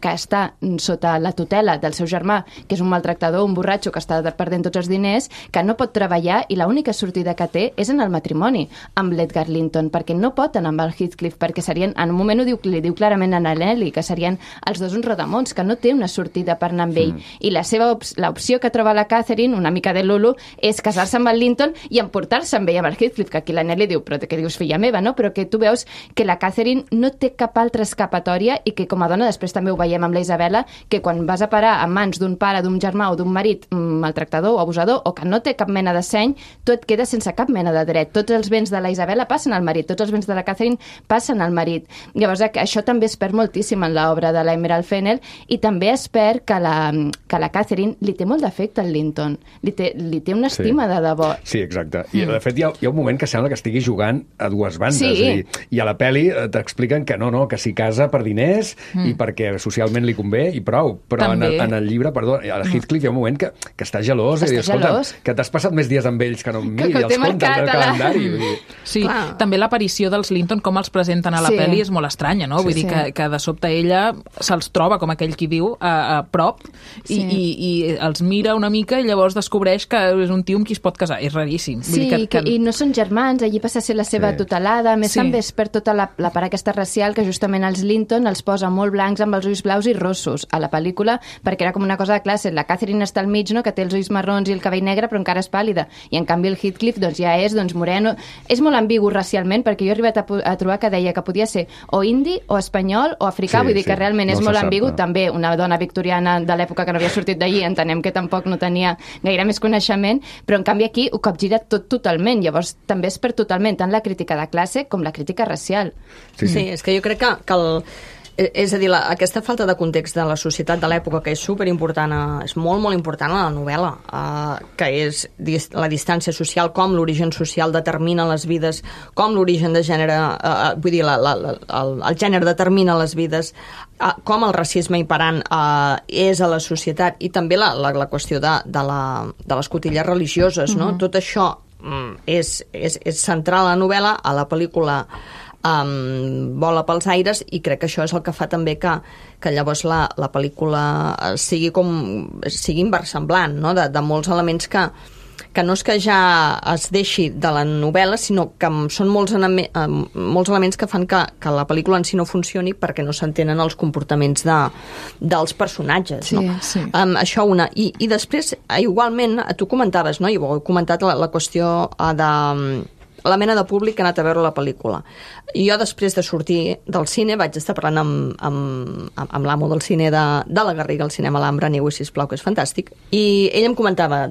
que està sota la tutela del seu germà, que és un maltractador, un borratxo que està perdent tots els diners, que no pot treballar i l'única sortida que té és en el matrimoni amb l'Edgar Linton, perquè no pot anar amb el Heathcliff, perquè serien, en un moment li diu clarament a Nelly, que serien els dos uns rodamons, que no té una sortida per anar amb ell. I l'opció que troba la Catherine, una mica de Lulu, és casar-se amb el Linton i emportar-se amb ell amb el Heathcliff, que aquí la Nelly diu, però què dius, filla meva, no? Però que tu veus que la Catherine no té cap altra escapatòria i que com a dona, després també ho veiem amb la Isabella, que quan vas a parar a mans d'un pare, d'un germà o d'un marit maltractador o abusador, o que no té cap mena de seny, tu et quedes sense cap mena de dret. Tots els béns de la Isabella passen al marit, tots els béns de la Catherine passen al marit. Llavors, això també es perd moltíssim en l'obra de l'Emerald Fennell, i també es perd que la Catherine li té molt d'afecte al Linton. Li té una estima de debò. Sí, exacte. I, de fet, hi ha un moment que sembla que estigui jugant a dues bandes. Sí. És a dir, i a la pel·li t'expliquen que no, que s'hi casa per diners i perquè socialment li convé i prou. Però en el llibre, perdó, a Heathcliff hi ha un moment que està gelós. Que t'has passat més dies amb ells que no em miri els comptes del calendari. Sí, també l'aparició dels Linton, com els presenten a la pel·li, és molt estranya, no? Vull dir que de sobte ella se'ls troba, com aquell qui diu, a prop i els mira una mica i llavors descobreix que és un tio amb qui es pot casar. És raríssim. Sí, i no són germans, allí passa a ser la seva tutelada. A més, també es perd tota la part aquesta racial que justament els Linton els posa molt blancs amb els ulls blaus i rossos a la pel·lícula, perquè era com una cosa de classe. La Catherine està al mig, no?, que té els ulls marrons i el cabell negre, però encara és pàl·lida. I en canvi el Heathcliff ja és moreno. És molt ambigu racialment, perquè jo he arribat a trobar que deia que podia ser o indi, o espanyol, o africà. Vull dir que realment és molt ambigu. També una dona victoriana de l'època que no havia sortit d'allí, entenem que tampoc no tenia gaire més coneixement, però en canvi aquí ho capgira tot totalment. Llavors també es perd totalment tant la crítica de classe com la crítica racial. Sí, és que jo crec que és a dir, aquesta falta de context de la societat de l'època, que és superimportant, és molt, molt important a la novel·la, que és la distància social, com l'origen social determina les vides, com l'origen de gènere, vull dir, el gènere determina les vides, com el racisme imperant és a la societat, i també la qüestió de les cotilles religioses, no? Tot això és central a la novel·la, a la pel·lícula vola pels aires, i crec que això és el que fa també que llavors la pel·lícula sigui inversemblant, no? De molts elements que no és que ja es deixi de la novel·la, sinó que són molts elements que fan que la pel·lícula en si no funcioni perquè no s'entenen els comportaments dels personatges, no? Sí. Això una. I després, igualment, tu comentaves, no? I ho he comentat, la qüestió de la mena de públic que ha anat a veure la pel·lícula. I jo, després de sortir del cine, vaig estar parlant amb l'amo del cine de la Garriga, al cinema Alhambra, aneu-hi, sisplau, que és fantàstic, i ell em comentava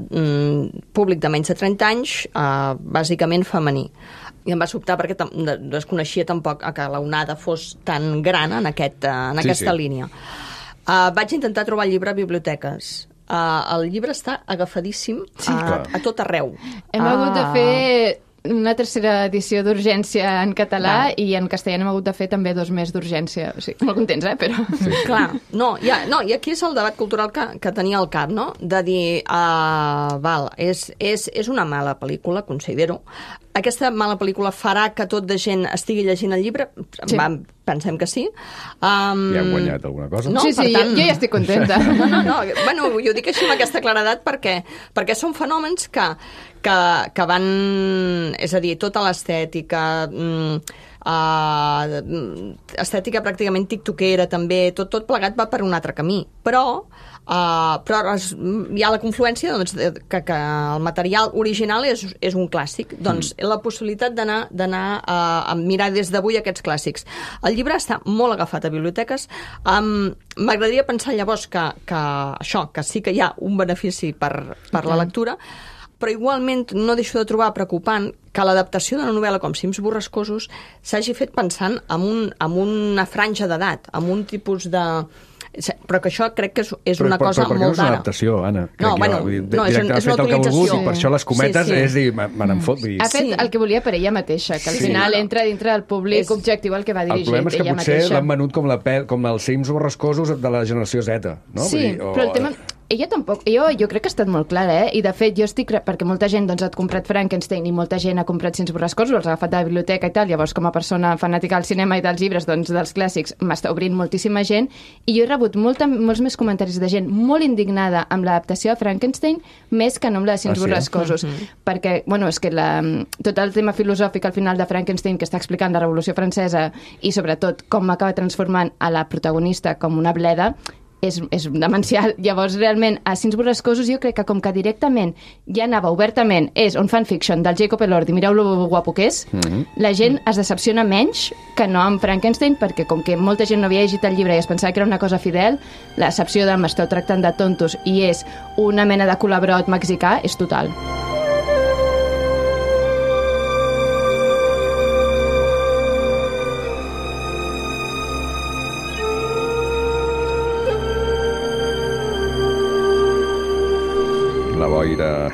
públic de menys de 30 anys, bàsicament femení. I em va sobtar perquè desconeixia tampoc que l'onada fos tan gran en aquesta línia. Vaig intentar trobar el llibre a biblioteques. El llibre està agafadíssim a tot arreu. Hem hagut de fer una tercera edició d'urgència en català i en castellà hem hagut de fer també 2 més d'urgència. O sigui, molt contents, però... Sí. Clar, i aquí és el debat cultural que tenia al cap, no? De dir, és una mala pel·lícula, considero. Aquesta mala pel·lícula farà que tot de gent estigui llegint el llibre? Sí. Pensem que sí. Ja hem guanyat alguna cosa? No, sí, tant... jo ja estic contenta. No. Bueno, jo dic així amb aquesta claredat perquè són fenòmens que van... És a dir, tota l'estètica... estètica pràcticament tiktokera també, tot plegat va per un altre camí, però hi ha la confluència que el material original és un clàssic, doncs la possibilitat d'anar a mirar des d'avui aquests clàssics. El llibre està molt agafat a biblioteques. M'agradaria pensar llavors que sí que hi ha un benefici per la lectura, però igualment no deixo de trobar preocupant que l'adaptació d'una novel·la com Cims borrascosos s'hagi fet pensant en una franja d'edat, en un tipus de Però que això crec que és una cosa molt d'ara. Però no és una d'ara. adaptació, Anna. No, bueno, no, és una utilització. I per això les cometes és dir, me n'en fot. Ha fet el que volia per ella mateixa, que al final entra dintre del públic objectiu al que va dirigir ella mateixa. El problema és que potser l'han venut com els Sims borrascosos de la generació Z, no? Sí, però el tema... Ella tampoc, jo crec que ha estat molt clara, i de fet jo estic, perquè molta gent doncs, ha comprat Frankenstein i molta gent ha comprat Sims borrascosos, els ha agafat de la biblioteca i tal, llavors com a persona fanàtica del cinema i dels llibres, doncs dels clàssics, m'està obrint moltíssima gent, i jo he rebut molts més comentaris de gent molt indignada amb l'adaptació a Frankenstein, més que no amb la de Sims borrascosos, perquè, bueno, és que tot el tema filosòfic al final de Frankenstein que està explicant la Revolució Francesa i sobretot com acaba transformant a la protagonista com una bleda, és demencial. Llavors, realment, a Sims borrascosos jo crec que com que directament ja anava obertament, és un fanfiction del Jacob Elordi, mireu lo guapo que és, la gent es decepciona menys que no amb Frankenstein, perquè com que molta gent no havia llegit el llibre i es pensava que era una cosa fidel, la decepció de m'esteu tractant de tontos i és una mena de colabrot mexicà és total. La boira.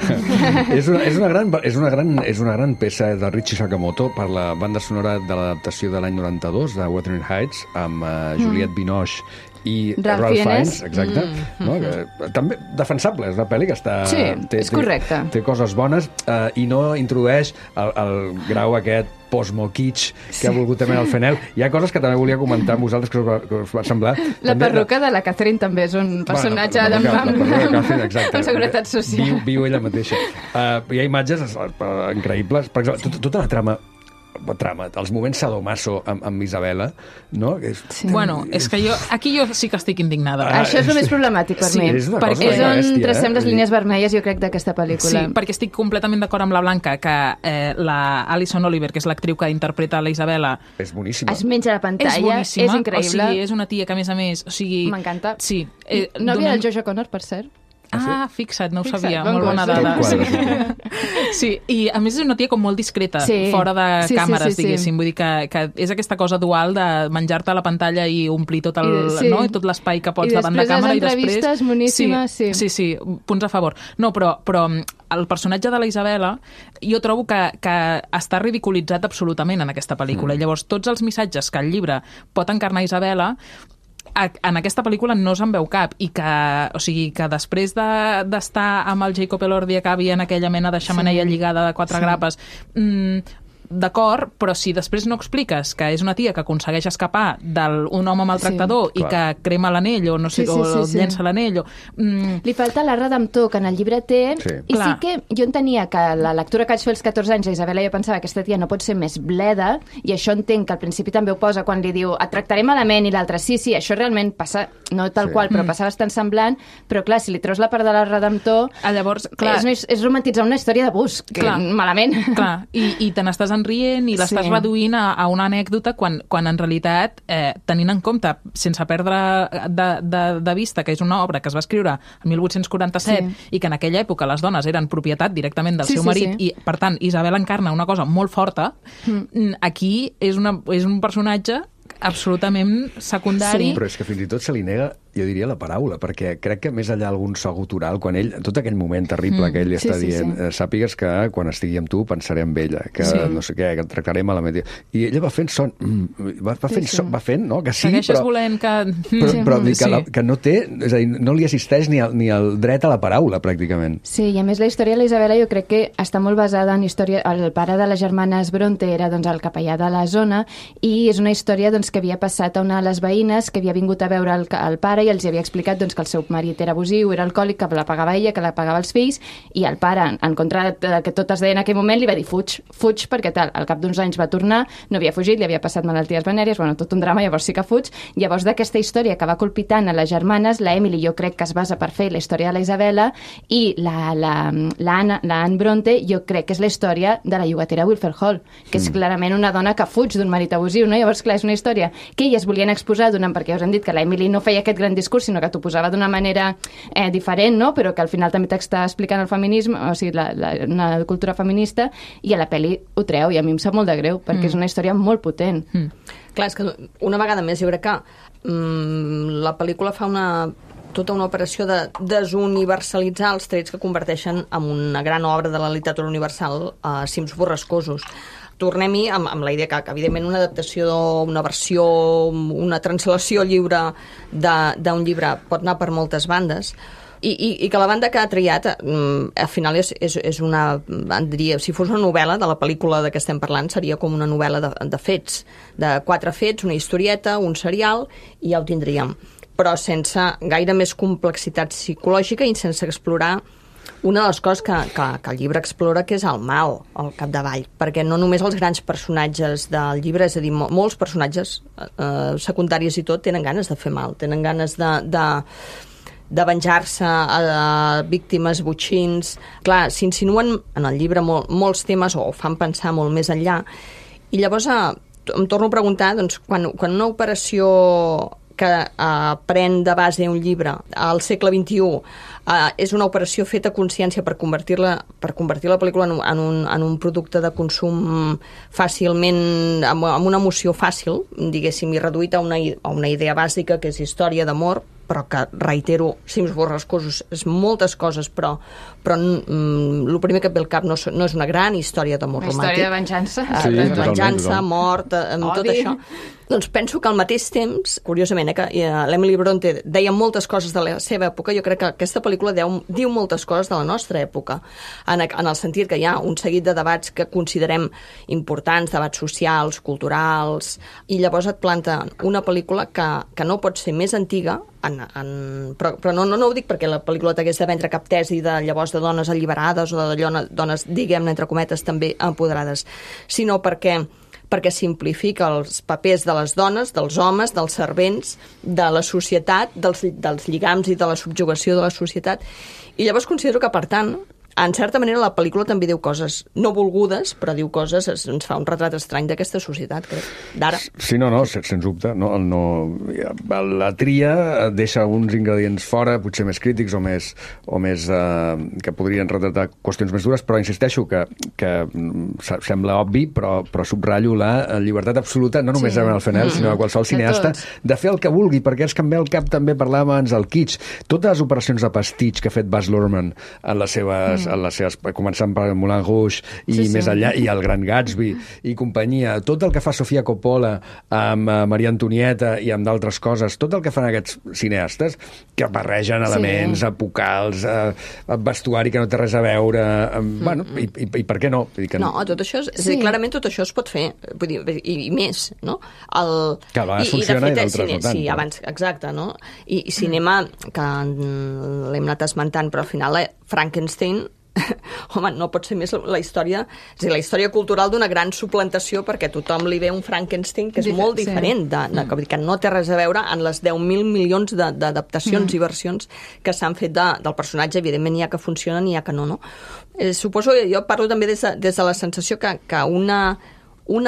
és una gran peça de Richie Sakamoto per la banda sonora de l'adaptació de l'any 92 de Wuthering Heights amb Juliette Binoche i Ralph Fiennes, exacte. No? També defensable, és una pel·li que està... Sí, és correcte. Té coses bones i no introdueix el grau aquest post-mo-kitsch que ha volgut també el Fenel. Hi ha coses que també volia comentar amb vosaltres que us va semblar. La perruca de la Catherine també és un personatge amb seguretat social. Viu ella mateixa. Hi ha imatges increïbles. Per exemple, tota la trama, els moments sadomaso amb Isabela, no? Bueno, és que aquí jo sí que estic indignada. Això és el més problemàtic per mi. És una cosa és on bèstia, tracem les línies vermelles, jo crec, d'aquesta pel·lícula. Sí, perquè estic completament d'acord amb la Blanca que la Alison Oliver, que és l'actriu que interpreta la Isabela, és boníssima. Es menja la pantalla, és increïble. O sigui, és una tia que, a més, m'encanta. Sí. Nòvia del Jojo Connor, per cert. Fixa't, no ho sabia. Molt bona dada. Sí, i a més és una tia com molt discreta, fora de càmeres, diguéssim. Vull dir que és aquesta cosa dual de menjar-te a la pantalla i omplir tot tot l'espai que pots davant de càmera. I després les entrevistes moníssimes. Sí, punts a favor. No, però el personatge de la Isabela jo trobo que està ridiculitzat absolutament en aquesta pel·lícula. I llavors tots els missatges que el llibre pot encarnar Isabela en aquesta pel·lícula no se'n veu cap i que després d'estar amb el Jacob Elordi acabi en aquella mena de xemeneia lligada de 4 grapes, d'acord, però si després no expliques que és una tia que aconsegueix escapar d'un home maltractador i que crema l'anell o no sé, o llença l'anell li falta la redemptor que en el llibre té i sí que jo entenia que la lectura que vaig fer als 14 anys, la Isabela, jo pensava que aquesta tia no pot ser més bleda i això entenc que al principi també ho posa quan li diu et tractaré malament i l'altre sí, això realment passa, no tal qual, però passa bastant semblant, però clar, si li treus la part de la redemptor, llavors, és romantitzar una història d'abús, que malament. Clar, i te n'estàs rient i l'estàs reduint a una anècdota quan en realitat, tenint en compte, sense perdre de vista que és una obra que es va escriure el 1847 i que en aquella època les dones eren propietat directament del seu marit i, per tant, Isabel encarna una cosa molt forta, aquí és un personatge absolutament secundari. Però és que fins i tot se li nega, jo diria, la paraula, perquè crec que més enllà algun so gutural, quan ell, tot aquell moment terrible que ell està dient, sàpigues que quan estigui amb tu pensaré amb ella, que no sé què, que et tractaré malament. I ella va fent son, va fent, no? Que sí, segueixes volent que... Però que no té, és a dir, no li assisteix ni el dret a la paraula, pràcticament. Sí, i a més la història de la Isabela jo crec que està molt basada en història... El pare de les germanes Bronte era doncs, el capellà de la zona i és una història doncs, que havia passat a una de les veïnes que havia vingut a veure el pare i els havia explicat doncs, que el seu marit era abusiu, era alcohòlic, que la pagava ella, que la pagava els fills, i el pare, en contra de que tot es deia en aquell moment, li va dir fuig perquè tal. Al cap d'uns anys va tornar, no havia fugit, li havia passat malalties venèries, bueno, tot un drama, llavors sí que fuig. Llavors d'aquesta història que va colpitant a les germanes, la Emily jo crec que es basa per fer la història de la Isabela i l'Anne Bronte jo crec que és la història de la llogatera Wilfred Hall, que és clarament una dona que fuig d'un marit abusiu, no? Llavors, clar, és una història que elles volien exposar perquè us han dit que la Emily no feia aquest gran discurs, sinó que t'ho posava d'una manera diferent, no? Però que al final també t'està explicant el feminisme, o sigui, una cultura feminista, i a la pel·li ho treu, i a mi em sap molt de greu, perquè és una història molt potent. Clar, és que una vegada més jo crec que la pel·lícula fa tota una operació de desuniversalitzar els trets que converteixen en una gran obra de la literatura universal a cims borrascosos. Tornem-hi amb la idea que evidentment una adaptació, una versió, una translació lliure d'un llibre pot anar per moltes bandes, i que la banda que ha triat al final és una, diria, si fos una novel·la de la pel·lícula de què estem parlant, seria com una novel·la de fets, de 4 fets, una historieta, un serial, i ja ho tindríem, però sense gaire més complexitat psicològica i sense explorar una de les coses que el llibre explora, que és el mal al capdavall, perquè no només els grans personatges del llibre, és a dir, molts personatges secundaris i tot tenen ganes de fer mal, tenen ganes de venjar-se a víctimes, botxins. Clar, s'insinuen en el llibre molts temes o fan pensar molt més enllà, i llavors em torno a preguntar, doncs, quan una operació que pren de base un llibre al segle XXI és una operació feta a consciència per convertir la pel·lícula en un producte de consum fàcilment, amb una emoció fàcil, diguéssim, i reduït a una idea bàsica, que és història d'amor, però que, reitero, cims borrascosos és moltes coses, però el primer que et ve al cap no és una gran història d'amor romàntic. Una història de venjança. Sí, de venjança, mort, tot això. Doncs penso que al mateix temps, curiosament, que l'Emily Bronte deia moltes coses de la seva època, jo crec que aquesta pel·lícula diu moltes coses de la nostra època, en el sentit que hi ha un seguit de debats que considerem importants, debats socials, culturals, i llavors et planta una pel·lícula que no pot ser més antiga, però no ho dic perquè la pel·lícula t'hagués de vendre cap tesi de llavors de dones alliberades o de dones, diguem-ne, entre cometes, també empoderades, sinó perquè simplifica els papers de les dones, dels homes, dels servents, de la societat, dels lligams i de la subjugació de la societat. I llavors considero que, per tant, en certa manera la pel·lícula també diu coses no volgudes, però diu coses, ens fa un retrat estrany d'aquesta societat, crec, d'ara. Sí, no, sens dubte. La tria deixa uns ingredients fora, potser més crítics o més que podrien retratar qüestions més dures, però insisteixo que sembla obvi, però subratllo la llibertat absoluta, no només de Fennell, sinó de qualsevol cineasta, de fer el que vulgui, perquè és que em ve al cap també parlàvem abans del kitsch. Totes les operacions de pastitx que ha fet Baz Luhrmann en les seves començant per Moulin Rouge i més enllà, i el Gran Gatsby i companyia, tot el que fa Sofia Coppola amb Maria Antonieta i amb d'altres coses, tot el que fan aquests cineastes que barregen elements epocals, vestuari que no té res a veure, bueno, i per què no? No, tot això clarament tot això es pot fer, vull dir, i més, no? Que a vegades funciona i d'altres no tant. Sí, abans, exacte, no? I cinema, que l'hem anat esmentant, però al final Frankenstein, home, no pot ser més la història, és a dir, la història cultural d'una gran suplantació, perquè tothom li ve un Frankenstein que és molt diferent, que no té res a veure en les 10.000 milions d'adaptacions i versions que s'han fet del personatge. Evidentment hi ha que funcionen i hi ha que no. Suposo, jo parlo també des de la sensació que una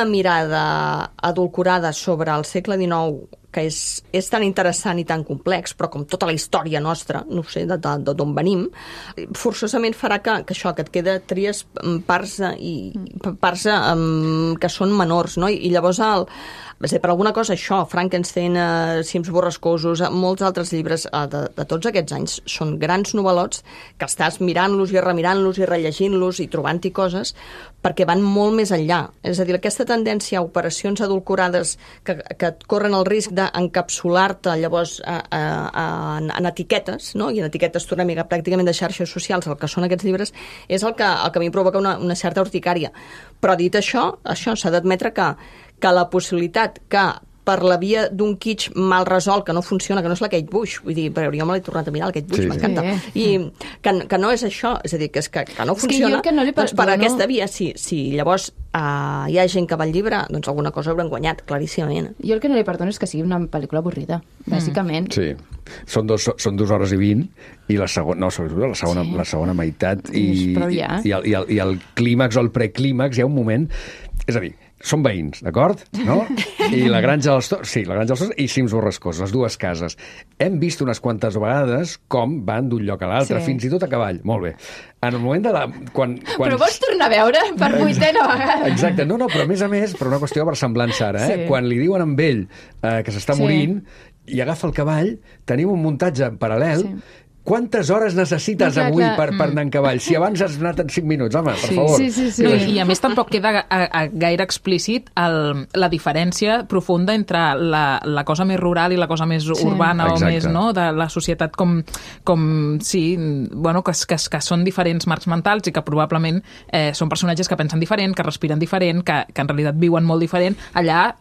mirada adulcorada sobre el segle XIX, que és tan interessant i tan complex, però com tota la història nostra, no sé, d'on venim, forçosament farà que això, que et queda tries parts que són menors, no? I llavors per alguna cosa això, Frankenstein, cims borrascosos, molts altres llibres de tots aquests anys són grans novel·lots que estàs mirant-los i remirant-los i rellegint-los i trobant-hi coses perquè van molt més enllà. És a dir, aquesta tendència a operacions adulcorades que et corren el risc d'encapsular-te llavors en etiquetes, no? I en etiquetes tornem pràcticament de xarxes socials, el que són aquests llibres, és el que a mi provoca una certa urticària. Però dit això s'ha d'admetre que la possibilitat que per la via d'un kitsch mal resolt, que no funciona, que no és la Kate Bush, vull dir, però jo me l'he tornat a mirar, la Kate Bush, m'encanta. I que no és això, és a dir, que no funciona, doncs per aquesta via, si llavors hi ha gent que va al llibre, doncs alguna cosa hauran guanyat, claríssimament. Jo el que no li perdono és que sigui una pel·lícula avorrida, bàsicament. Sí, són 2 hores i 20, i la segona meitat, i el clímax o el preclímax, hi ha un moment, és a dir, són veïns, d'acord? No? I la Granja dels Tords, sí, la Granja dels Tords i Cims Borrascós, les dues cases. Hem vist unes quantes vegades com van d'un lloc a l'altre, fins i tot a cavall. Molt bé. En el moment de la... Quan... Però vols tornar a veure per 8ª vegada? Exacte, no, però a més, per una qüestió de versemblança ara, quan li diuen amb ell que s'està morint i agafa el cavall, tenim un muntatge paral·lel. Quantes hores necessites avui per anar en cavall? Si abans has anat en 5 minuts, home, per favor. Sí. No, I a més tampoc queda gaire explícit la diferència profunda entre la cosa més rural i la cosa més urbana o més, no?, de la societat com sí, bueno, que són diferents marcs mentals i que probablement són personatges que pensen diferent, que respiren diferent, que en realitat viuen molt diferent. Allà,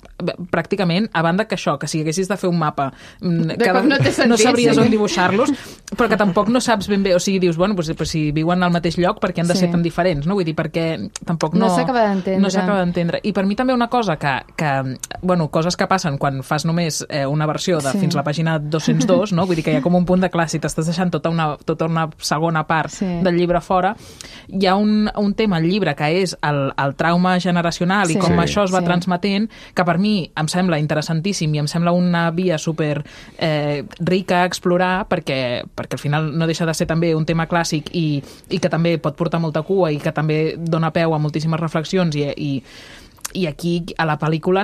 pràcticament, a banda que això, que si haguessis de fer un mapa, no sabries on dibuixar-los, però que tampoc no saps ben bé, o sigui, dius, bueno, pues si viuen al mateix lloc, per què han de ser tan diferents, no? Vull dir, perquè tampoc no s'acaba d'entendre. No s'acaba d'entendre. I per mi també una cosa que bueno, coses que passen quan fas només una versió de fins a la pàgina 202, no? Vull dir que hi ha com un punt de clar, si t'estàs deixant tota una segona part del llibre fora, hi ha un tema al llibre que és el trauma generacional i com això es va transmetent, que per mi em sembla interessantíssim i em sembla una via super rica a explorar, perquè al final no deixa de ser també un tema clàssic i que també pot portar molta cua i que també dona peu a moltíssimes reflexions i aquí a la pel·lícula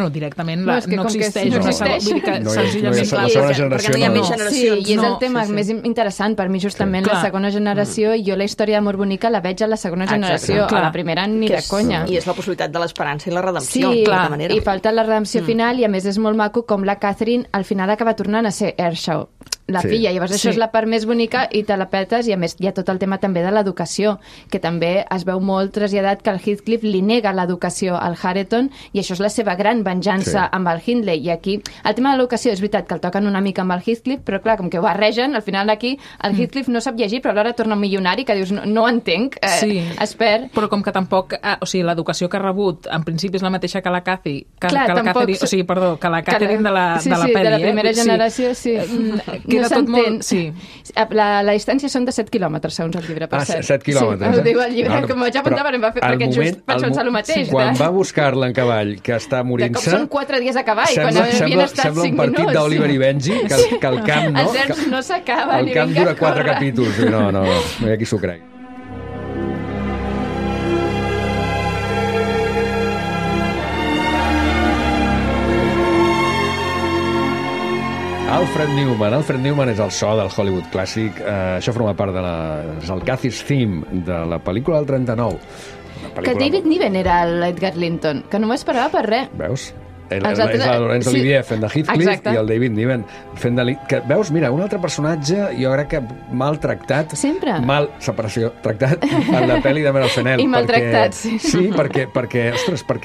directament no existeix. Vull dir que senzillament la segona generació perquè no hi ha més generacions. Sí, i és el tema més interessant per mi, justament, la segona generació, i jo la història d'amor bonica la veig a la segona generació, a la primera ni de conya. I és la possibilitat de l'esperança i la redempció. Sí, i falta la redempció final, i a més és molt maco com la Catherine al final acaba tornant a ser Earnshaw, la filla. Llavors això és la part més bonica i te la petes, i a més hi ha tot el tema també de l'educació, que també es veu molt traslladat que el Heathcliff li nega l'educació al Hareton, i això és la seva gran venjança amb el Hindley. I aquí el tema de l'educació és veritat que el toquen una mica amb el Heathcliff, però clar, com que ho barregen, al final aquí el Heathcliff no sap llegir, però alhora torna un milionari que dius, no ho entenc, es perd. Però com que tampoc, o sigui, l'educació que ha rebut en principi és la mateixa que la Cathy, que la Catherine de la pel·li. De la primera generació, no s'entén. La distància són de 7 quilòmetres, segons el llibre, per cert. 7 quilòmetres. Ho diu el llibre, que m'ho vaig apuntar perquè just vaig pensar el mateix. Quan va buscar-la en cavall, que està morint-se... De cop són 4 dies a cavall, quan havien estat 5 minuts. Sembla un partit d'Oliver i Benji, que el camp, no? Els herbs no s'acaben. El camp dura 4 capítols. No hi ha qui s'ho cregui. Alfred Newman és el so del Hollywood clàssic. Això forma part és el Cathy's Theme de la pel·lícula del 39. Que David Niven era l'Edgar Linton, que no m'esperava per res. Veus? És la Laurence Olivier fent de Heathcliff i el David Niven fent de... Veus, mira, un altre personatge jo crec que mal tractat. Sempre. Mal separació tractat en la pel·li de Meryl Fennell. I maltractat, sí. Sí, perquè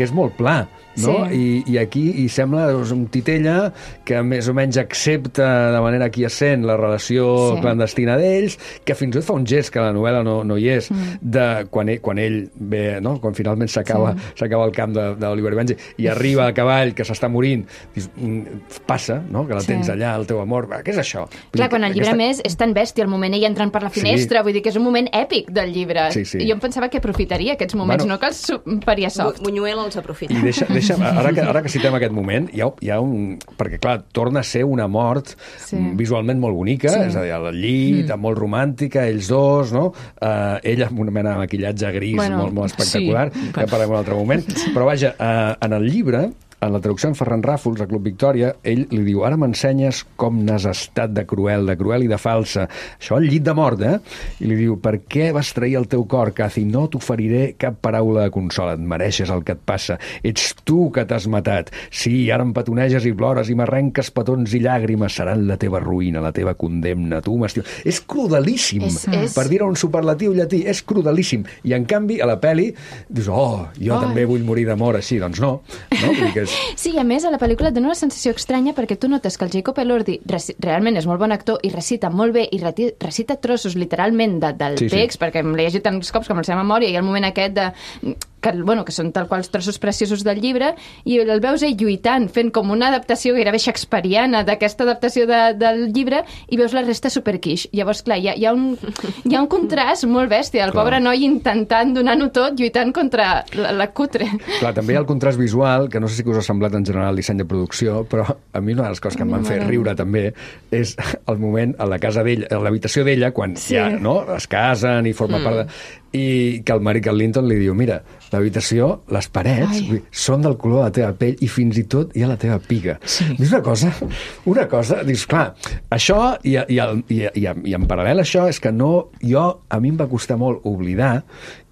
és molt pla. No? Sí. I aquí hi sembla un titella que més o menys accepta de manera quiescent la relació clandestina d'ells, que fins i tot fa un gest que la novel·la no hi és, de quan ell ve, no? Quan finalment s'acaba el camp d'Oliver Benji i arriba a cavall que s'està morint, dius, passa, no? Que la tens allà, el teu amor, què és això? Clar, quan el llibre més és tan bèstia, el moment ell entrant per la finestra, vull dir que és un moment èpic del llibre. I jo em pensava que aprofitaria aquests moments, no que els faria soft. Buñuel els aprofita. I ara que citem aquest moment, hi ha un... Perquè, clar, torna a ser una mort visualment molt bonica, és a dir, al llit, molt romàntica, ells dos, no? Ella amb una mena de maquillatge gris molt espectacular, que parlem en un altre moment. Però, vaja, en el llibre, en la traducció en Ferran Ràfols, a Club Victòria, ell li diu, ara m'ensenyes com n'has estat de cruel i de falsa. Això al llit de mort, I li diu, per què vas trair el teu cor, Cathy? No t'oferiré cap paraula de consol, et mereixes el que et passa. Ets tu que t'has matat. Sí, ara em petoneges i plores i m'arrenques petons i llàgrimes. Seran la teva ruïna, la teva condemna. Tu m'estimes. És crudelíssim. Per dir-ho un superlatiu llatí, és crudelíssim. I, en canvi, a la peli, dius, jo també vull morir d'amor així. Doncs no. Vull dir que Sí, a més, a la pel·lícula et dona una sensació estranya perquè tu notes que el Jacob Elordi realment és molt bon actor i recita molt bé i recita trossos literalment del text, perquè l'he llegit tants cops com la seva memòria, i el moment aquest de... que són tal qual els trossos preciosos del llibre, i el veus ell lluitant, fent com una adaptació gairebé shakespeariana d'aquesta adaptació del llibre, i veus la resta superquiix. Llavors, clar, hi ha un contrast molt bèstia, el pobre noi intentant donar-ho tot, lluitant contra la cutre. Clar, també hi ha el contrast visual, que no sé si us ha semblat en general el disseny de producció, però a mi una de les coses que em van fer riure també és el moment a la casa d'ella, a l'habitació d'ella, quan ja es casen i forma part de... I que el marit, que el Linton, li diu, mira, l'habitació, les parets, són del color de la teva pell i fins i tot hi ha la teva piga. Sí. És una cosa, dius, clar, això i en paral·lel a això és que a mi em va costar molt oblidar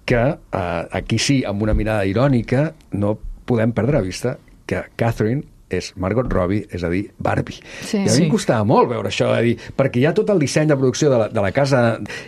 que aquí sí, amb una mirada irònica, no podem perdre de vista que Catherine és Margot Robbie, és a dir, Barbie. I a mi em costava molt veure això, perquè hi ha tot el disseny de producció de la casa,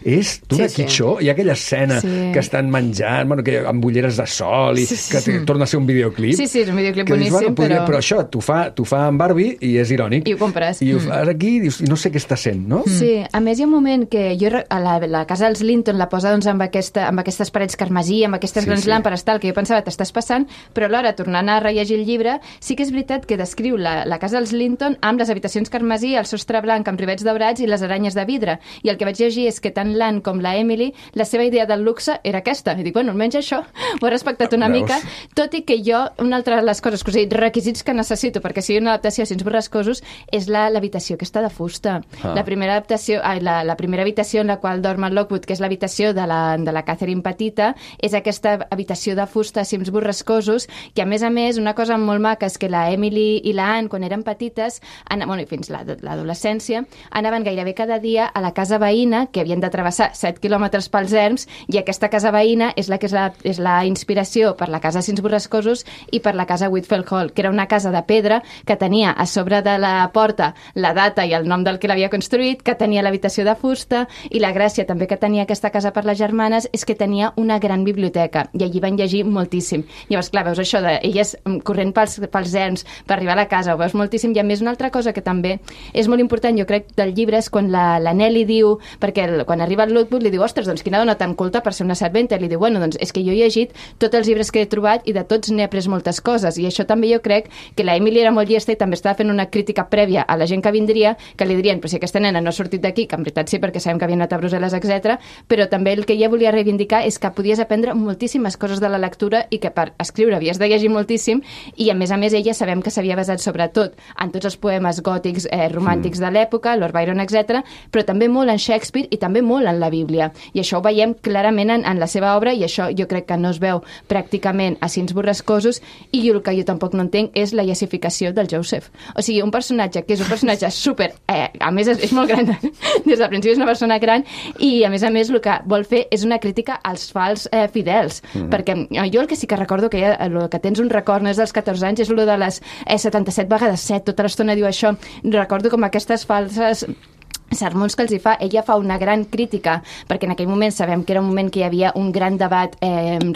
és d'una quitxó, hi ha aquella escena que estan menjant, amb ulleres de sol, i que torna a ser un videoclip. Sí, és un videoclip boníssim, però això t'ho fa en Barbie i és irònic. I ho compres. I ho fas aquí i dius, no sé què està sent, no? Sí, a més hi ha un moment que jo a la casa dels Linton la posa amb aquestes parets carmesí, amb aquestes grans làmperes, tal, que jo pensava t'estàs passant, però alhora, tornant a rellegir el llibre, sí que és veritat que descriu la casa dels Linton amb les habitacions carmesí, el sostre blanc amb rivets daurats i les aranyes de vidre. I el que vaig llegir és que tant l'Anne com la Emily, la seva idea del luxe era aquesta. I dic, bueno, almenys això ho he respectat una mica, tot i que jo, una altra de les coses, que us he dit, requisits que necessito perquè sigui una adaptació a Cims borrascosos, és l'habitació aquesta de fusta. La primera habitació en la qual dorm el Lockwood, que és l'habitació de la Catherine petita, és aquesta habitació de fusta a Cims borrascosos, que a més, una cosa molt maca és que la Emily i la Anne, quan eren petites, i fins l'adolescència, anaven gairebé cada dia a la casa veïna, que havien de travessar 7 quilòmetres pels erms, i aquesta casa veïna és la inspiració per la casa Cims borrascosos i per la casa Whitfield Hall, que era una casa de pedra que tenia a sobre de la porta la data i el nom del que l'havia construït, que tenia l'habitació de fusta, i la gràcia també que tenia aquesta casa per les germanes és que tenia una gran biblioteca, i allí van llegir moltíssim. Llavors, clar, veus això d'elles corrent pels erms per arribar a la casa, ho veus moltíssim. I a més, una altra cosa que també és molt important, jo crec, del llibre és quan la Nelly diu, perquè quan arriba el Lockwood li diu, ostres, doncs quina dona tan culta per ser una serventa, i li diu, bueno, doncs és que jo he llegit tots els llibres que he trobat i de tots n'he après moltes coses, i això també jo crec que la Emily era molt llesta i també estava fent una crítica prèvia a la gent que vindria, que li dirien, però si aquesta nena no ha sortit d'aquí, que en veritat sí, perquè sabem que havia anat a Brussel·les, etc. Però també el que ella volia reivindicar és que podies aprendre moltíssimes coses de la lectura i que per escriure havies de llegir moltíssim, i a més ella sabem que s'havia basat sobretot en tots els poemes gòtics romàntics de l'època, Lord Byron, etc., però també molt en Shakespeare i també molt en la Bíblia. I això ho veiem clarament en la seva obra, i això jo crec que no es veu pràcticament a Cims borrascosos, i el que jo tampoc no entenc és la iessificació del Joseph. O sigui, un personatge que és un personatge super... a més, és molt gran, des del principi és una persona gran, i a més el que vol fer és una crítica als fals fidels, perquè jo el que sí que recordo, que el que tens un record, no és dels 14 anys, és el de les 77 vegades 7, tota l'estona diu això. Recordo com aquestes falses sermons que els hi fa, ella fa una gran crítica, perquè en aquell moment sabem que era un moment que hi havia un gran debat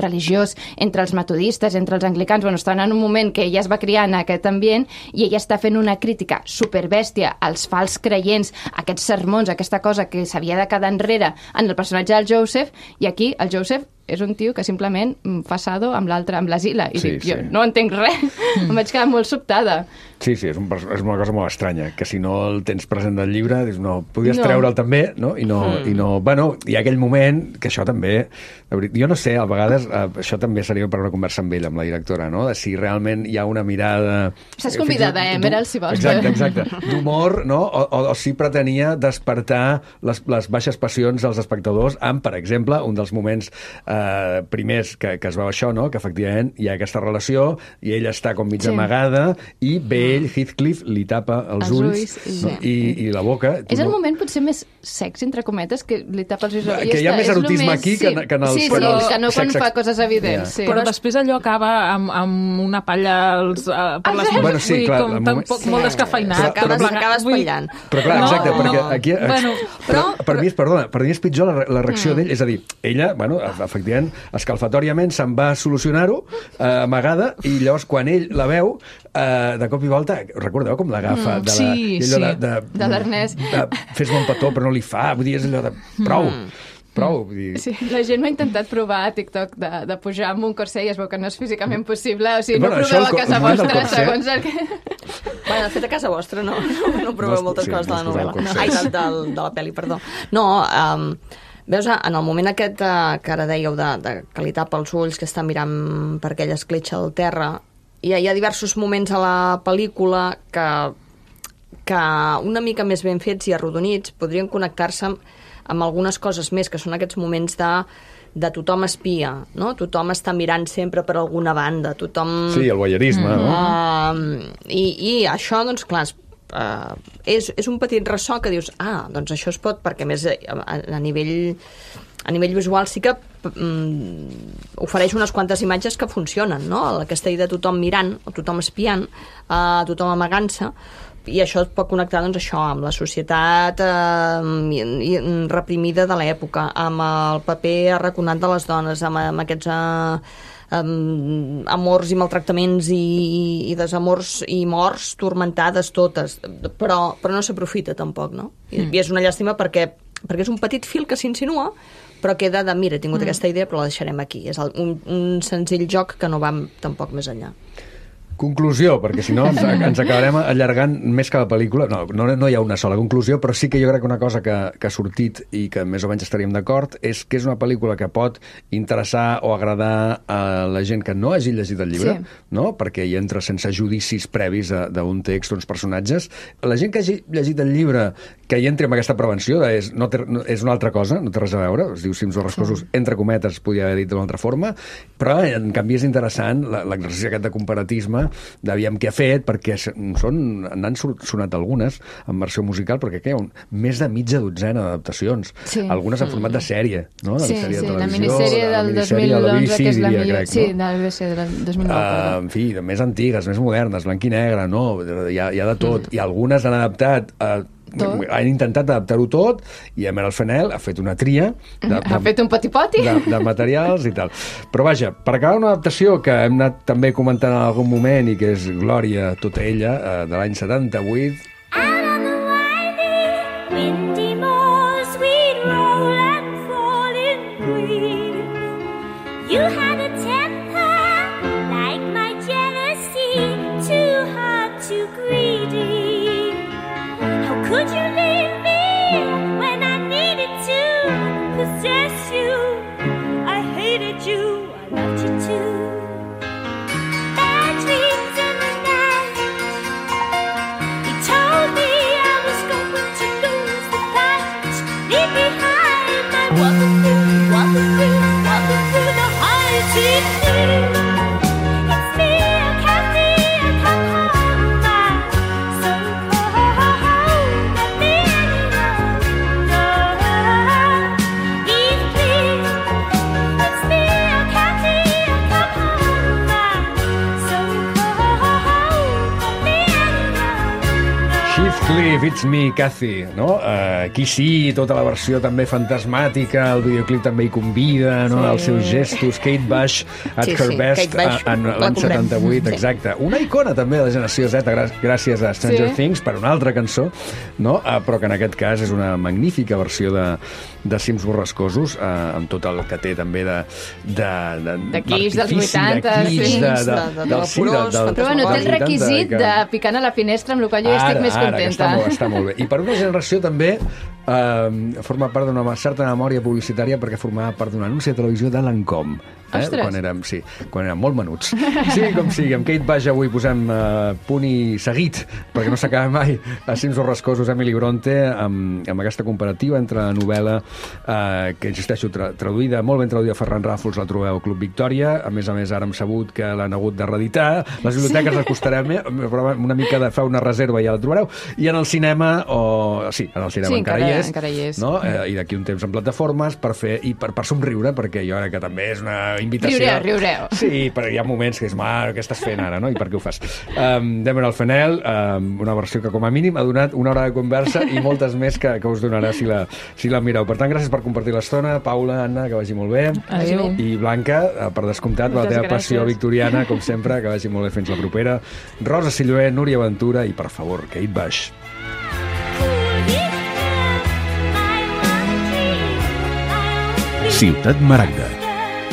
religiós entre els metodistes, entre els anglicans, estaven en un moment que ella es va criar en aquest ambient, i ella està fent una crítica superbèstia als fals creients, aquests sermons, aquesta cosa que s'havia de quedar enrere en el personatge del Joseph, i aquí el Joseph és un tio que simplement fa sado amb l'altre, amb l'Asila, i dic, jo no entenc res, em vaig quedar molt sobtada. Sí, és una cosa molt estranya, que si no el tens present del llibre, dius, no, podies treure'l també, no? I hi ha aquell moment que això també, jo no sé, a vegades això també seria per una conversa amb ella, amb la directora, no? De si realment hi ha una mirada... Estàs convidada, Meryl, si vols. Exacte, d'humor, no? O si pretenia despertar les baixes passions dels espectadors amb, per exemple, un dels moments primers que es veu això, no? Que efectivament hi ha aquesta relació i ella està com mig amagada i ve ell, Heathcliff, li tapa els ulls no? I la boca. És el moment potser més sex, entre cometes, que li tapa els ulls. Que hi ha més erotisme aquí que en els... Sí, que no quan fa coses evidents. Sí. Però després allò acaba amb una palla per les mans. Bueno, sí, clar. Molt descafeinat. Acaba espatllant. Però clar, exacte, perquè aquí... Per mi és pitjor la reacció d'ell. És a dir, ella, efectivament, escalfatoriament se'n va solucionar-ho, amagada, i llavors quan ell la veu, de cop i volta, recordeu com l'agafa de l'Ernest, fes-me un petó però no li fa, vull dir, és allò de prou, prou. Vull dir... Sí, la gent m'ha intentat provar a TikTok de pujar amb un corset i es veu que no és físicament possible. O sigui, Bueno, no això, proveu a casa el moment del vostra, corset. segons el que... Bueno, de fet, a casa vostra no proveu moltes sí, coses de la no us poseu novel·la. consells. Ai, de la pel·li, perdó. No, veus, en el moment aquest que ara dèieu que li tapa els ulls, que està mirant per aquella escletxa al terra, hi ha diversos moments a la pel·lícula que una mica més ben fets i arrodonits podrien connectar-se amb algunes coses més, que són aquests moments de tothom espia, no? Tothom està mirant sempre per alguna banda, tothom... Sí, el voyeurisme, no? I això, doncs, clar, és un petit ressò que dius, doncs això es pot, perquè a més a nivell visual sí que ofereix unes quantes imatges que funcionen, no? Aquesta idea de tothom mirant, o tothom espiant, tothom amagant-se, i això es pot connectar, doncs, això, amb la societat reprimida de l'època, amb el paper arraconat de les dones, amb aquests amors i maltractaments i desamors i morts tormentades totes, però no s'aprofita tampoc, no? I és una llàstima perquè és un petit fil que s'insinua, però queda de, mira, he tingut aquesta idea però la deixarem aquí. És un senzill joc que no va tampoc més enllà. Conclusió, perquè si no ens acabarem allargant més que la pel·lícula. No hi ha una sola conclusió, però sí que jo crec que una cosa que ha sortit i que més o menys estaríem d'acord és que és una pel·lícula que pot interessar o agradar a la gent que no hagi llegit el llibre, no? Perquè hi entra sense judicis previs d'un text, d'uns personatges. La gent que hagi llegit el llibre, que hi entri amb aquesta prevenció, és una altra cosa, no té res a veure, es diu Cims borrascosos, entre cometes, podria haver dit d'una altra forma, però en canvi és interessant l'exercici aquest de comparatisme d'aviam què ha fet, perquè n'han sonat algunes en versió musical, perquè hi ha més de mitja dotzena d'adaptacions, algunes en format de sèrie, no? Sí, de televisió, la minissèrie del 2011, que és la millor. Sí, de la BBC del 2009. En fi, més antigues, més modernes, blanc i negre, no? Hi ha de tot. I algunes han adaptat han intentat adaptar-ho tot i a Meryl Fennell ha fet una tria ha fet un poti-poti de materials i tal. Però vaja, per acabar una adaptació que hem anat també comentant en algun moment i que és Glòria, tota ella, de l'any 78. Out on the winding, windy moors we'd roll and fall in grief. You had a temper like my jealousy, too hard, too greedy. Could you leave me when I needed to possess you? I hated you, I loved you too. Bad dreams in the night. He told me I was going to lose the fight. Leave behind my walking through the high sea. It's me, I can't be, I come home, my soul. Cliff, It's Me, Cathy, no? Aquí sí, tota la versió també fantasmàtica, el videoclip també hi convida, no? Els seus gestos, Kate Bush at her best en l'any 78, exacte. Una icona també de la generació Z gràcies a Stranger Things per una altra cançó, no? Però que en aquest cas és una magnífica versió de Cims borrascosos, amb tot el que té també de Kiss dels 80, però bueno, té el requisit de picant a la finestra, amb el qual jo estic més contenta. Està molt bé. I per una generació també forma part d'una certa memòria publicitària perquè formava part d'un anunci de televisió de Lancôme. Quan érem molt menuts. Sí, com sigui, amb Kate Bush avui posem punt i seguit, perquè no s'acaba mai, a Cims borrascosos, Emily Bronte, amb aquesta comparativa entre la novel·la que, insisteixo, traduïda, molt ben traduïda a Ferran Ràfols, la trobeu al Club Victòria. A més, ara hem sabut que l'han hagut de reeditar. Les biblioteques les costarem, però una mica de fer una reserva i ja la trobareu. I en el cinema, en el cinema encara hi és. No? I d'aquí un temps en plataformes per somriure, perquè jo crec que també és una invitació. Riureu. Sí, però hi ha moments que és, què estàs fent ara, no? I per què ho fas? Meryl Fennell, una versió que com a mínim ha donat una hora de conversa i moltes més que us donarà si la mireu. Per tant, gràcies per compartir l'estona. Paula, Anna, que vagi molt bé. Adéu. I Blanca, per descomptat, per la teva passió victoriana, com sempre, que vagi molt bé fins la propera. Rosa Silloé, Núria Ventura i, per favor, Kate Bush. My one dream, my Ciutat Maragda,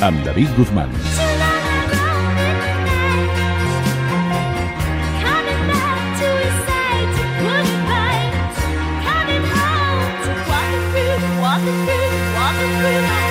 amb David Guzmán. Walking through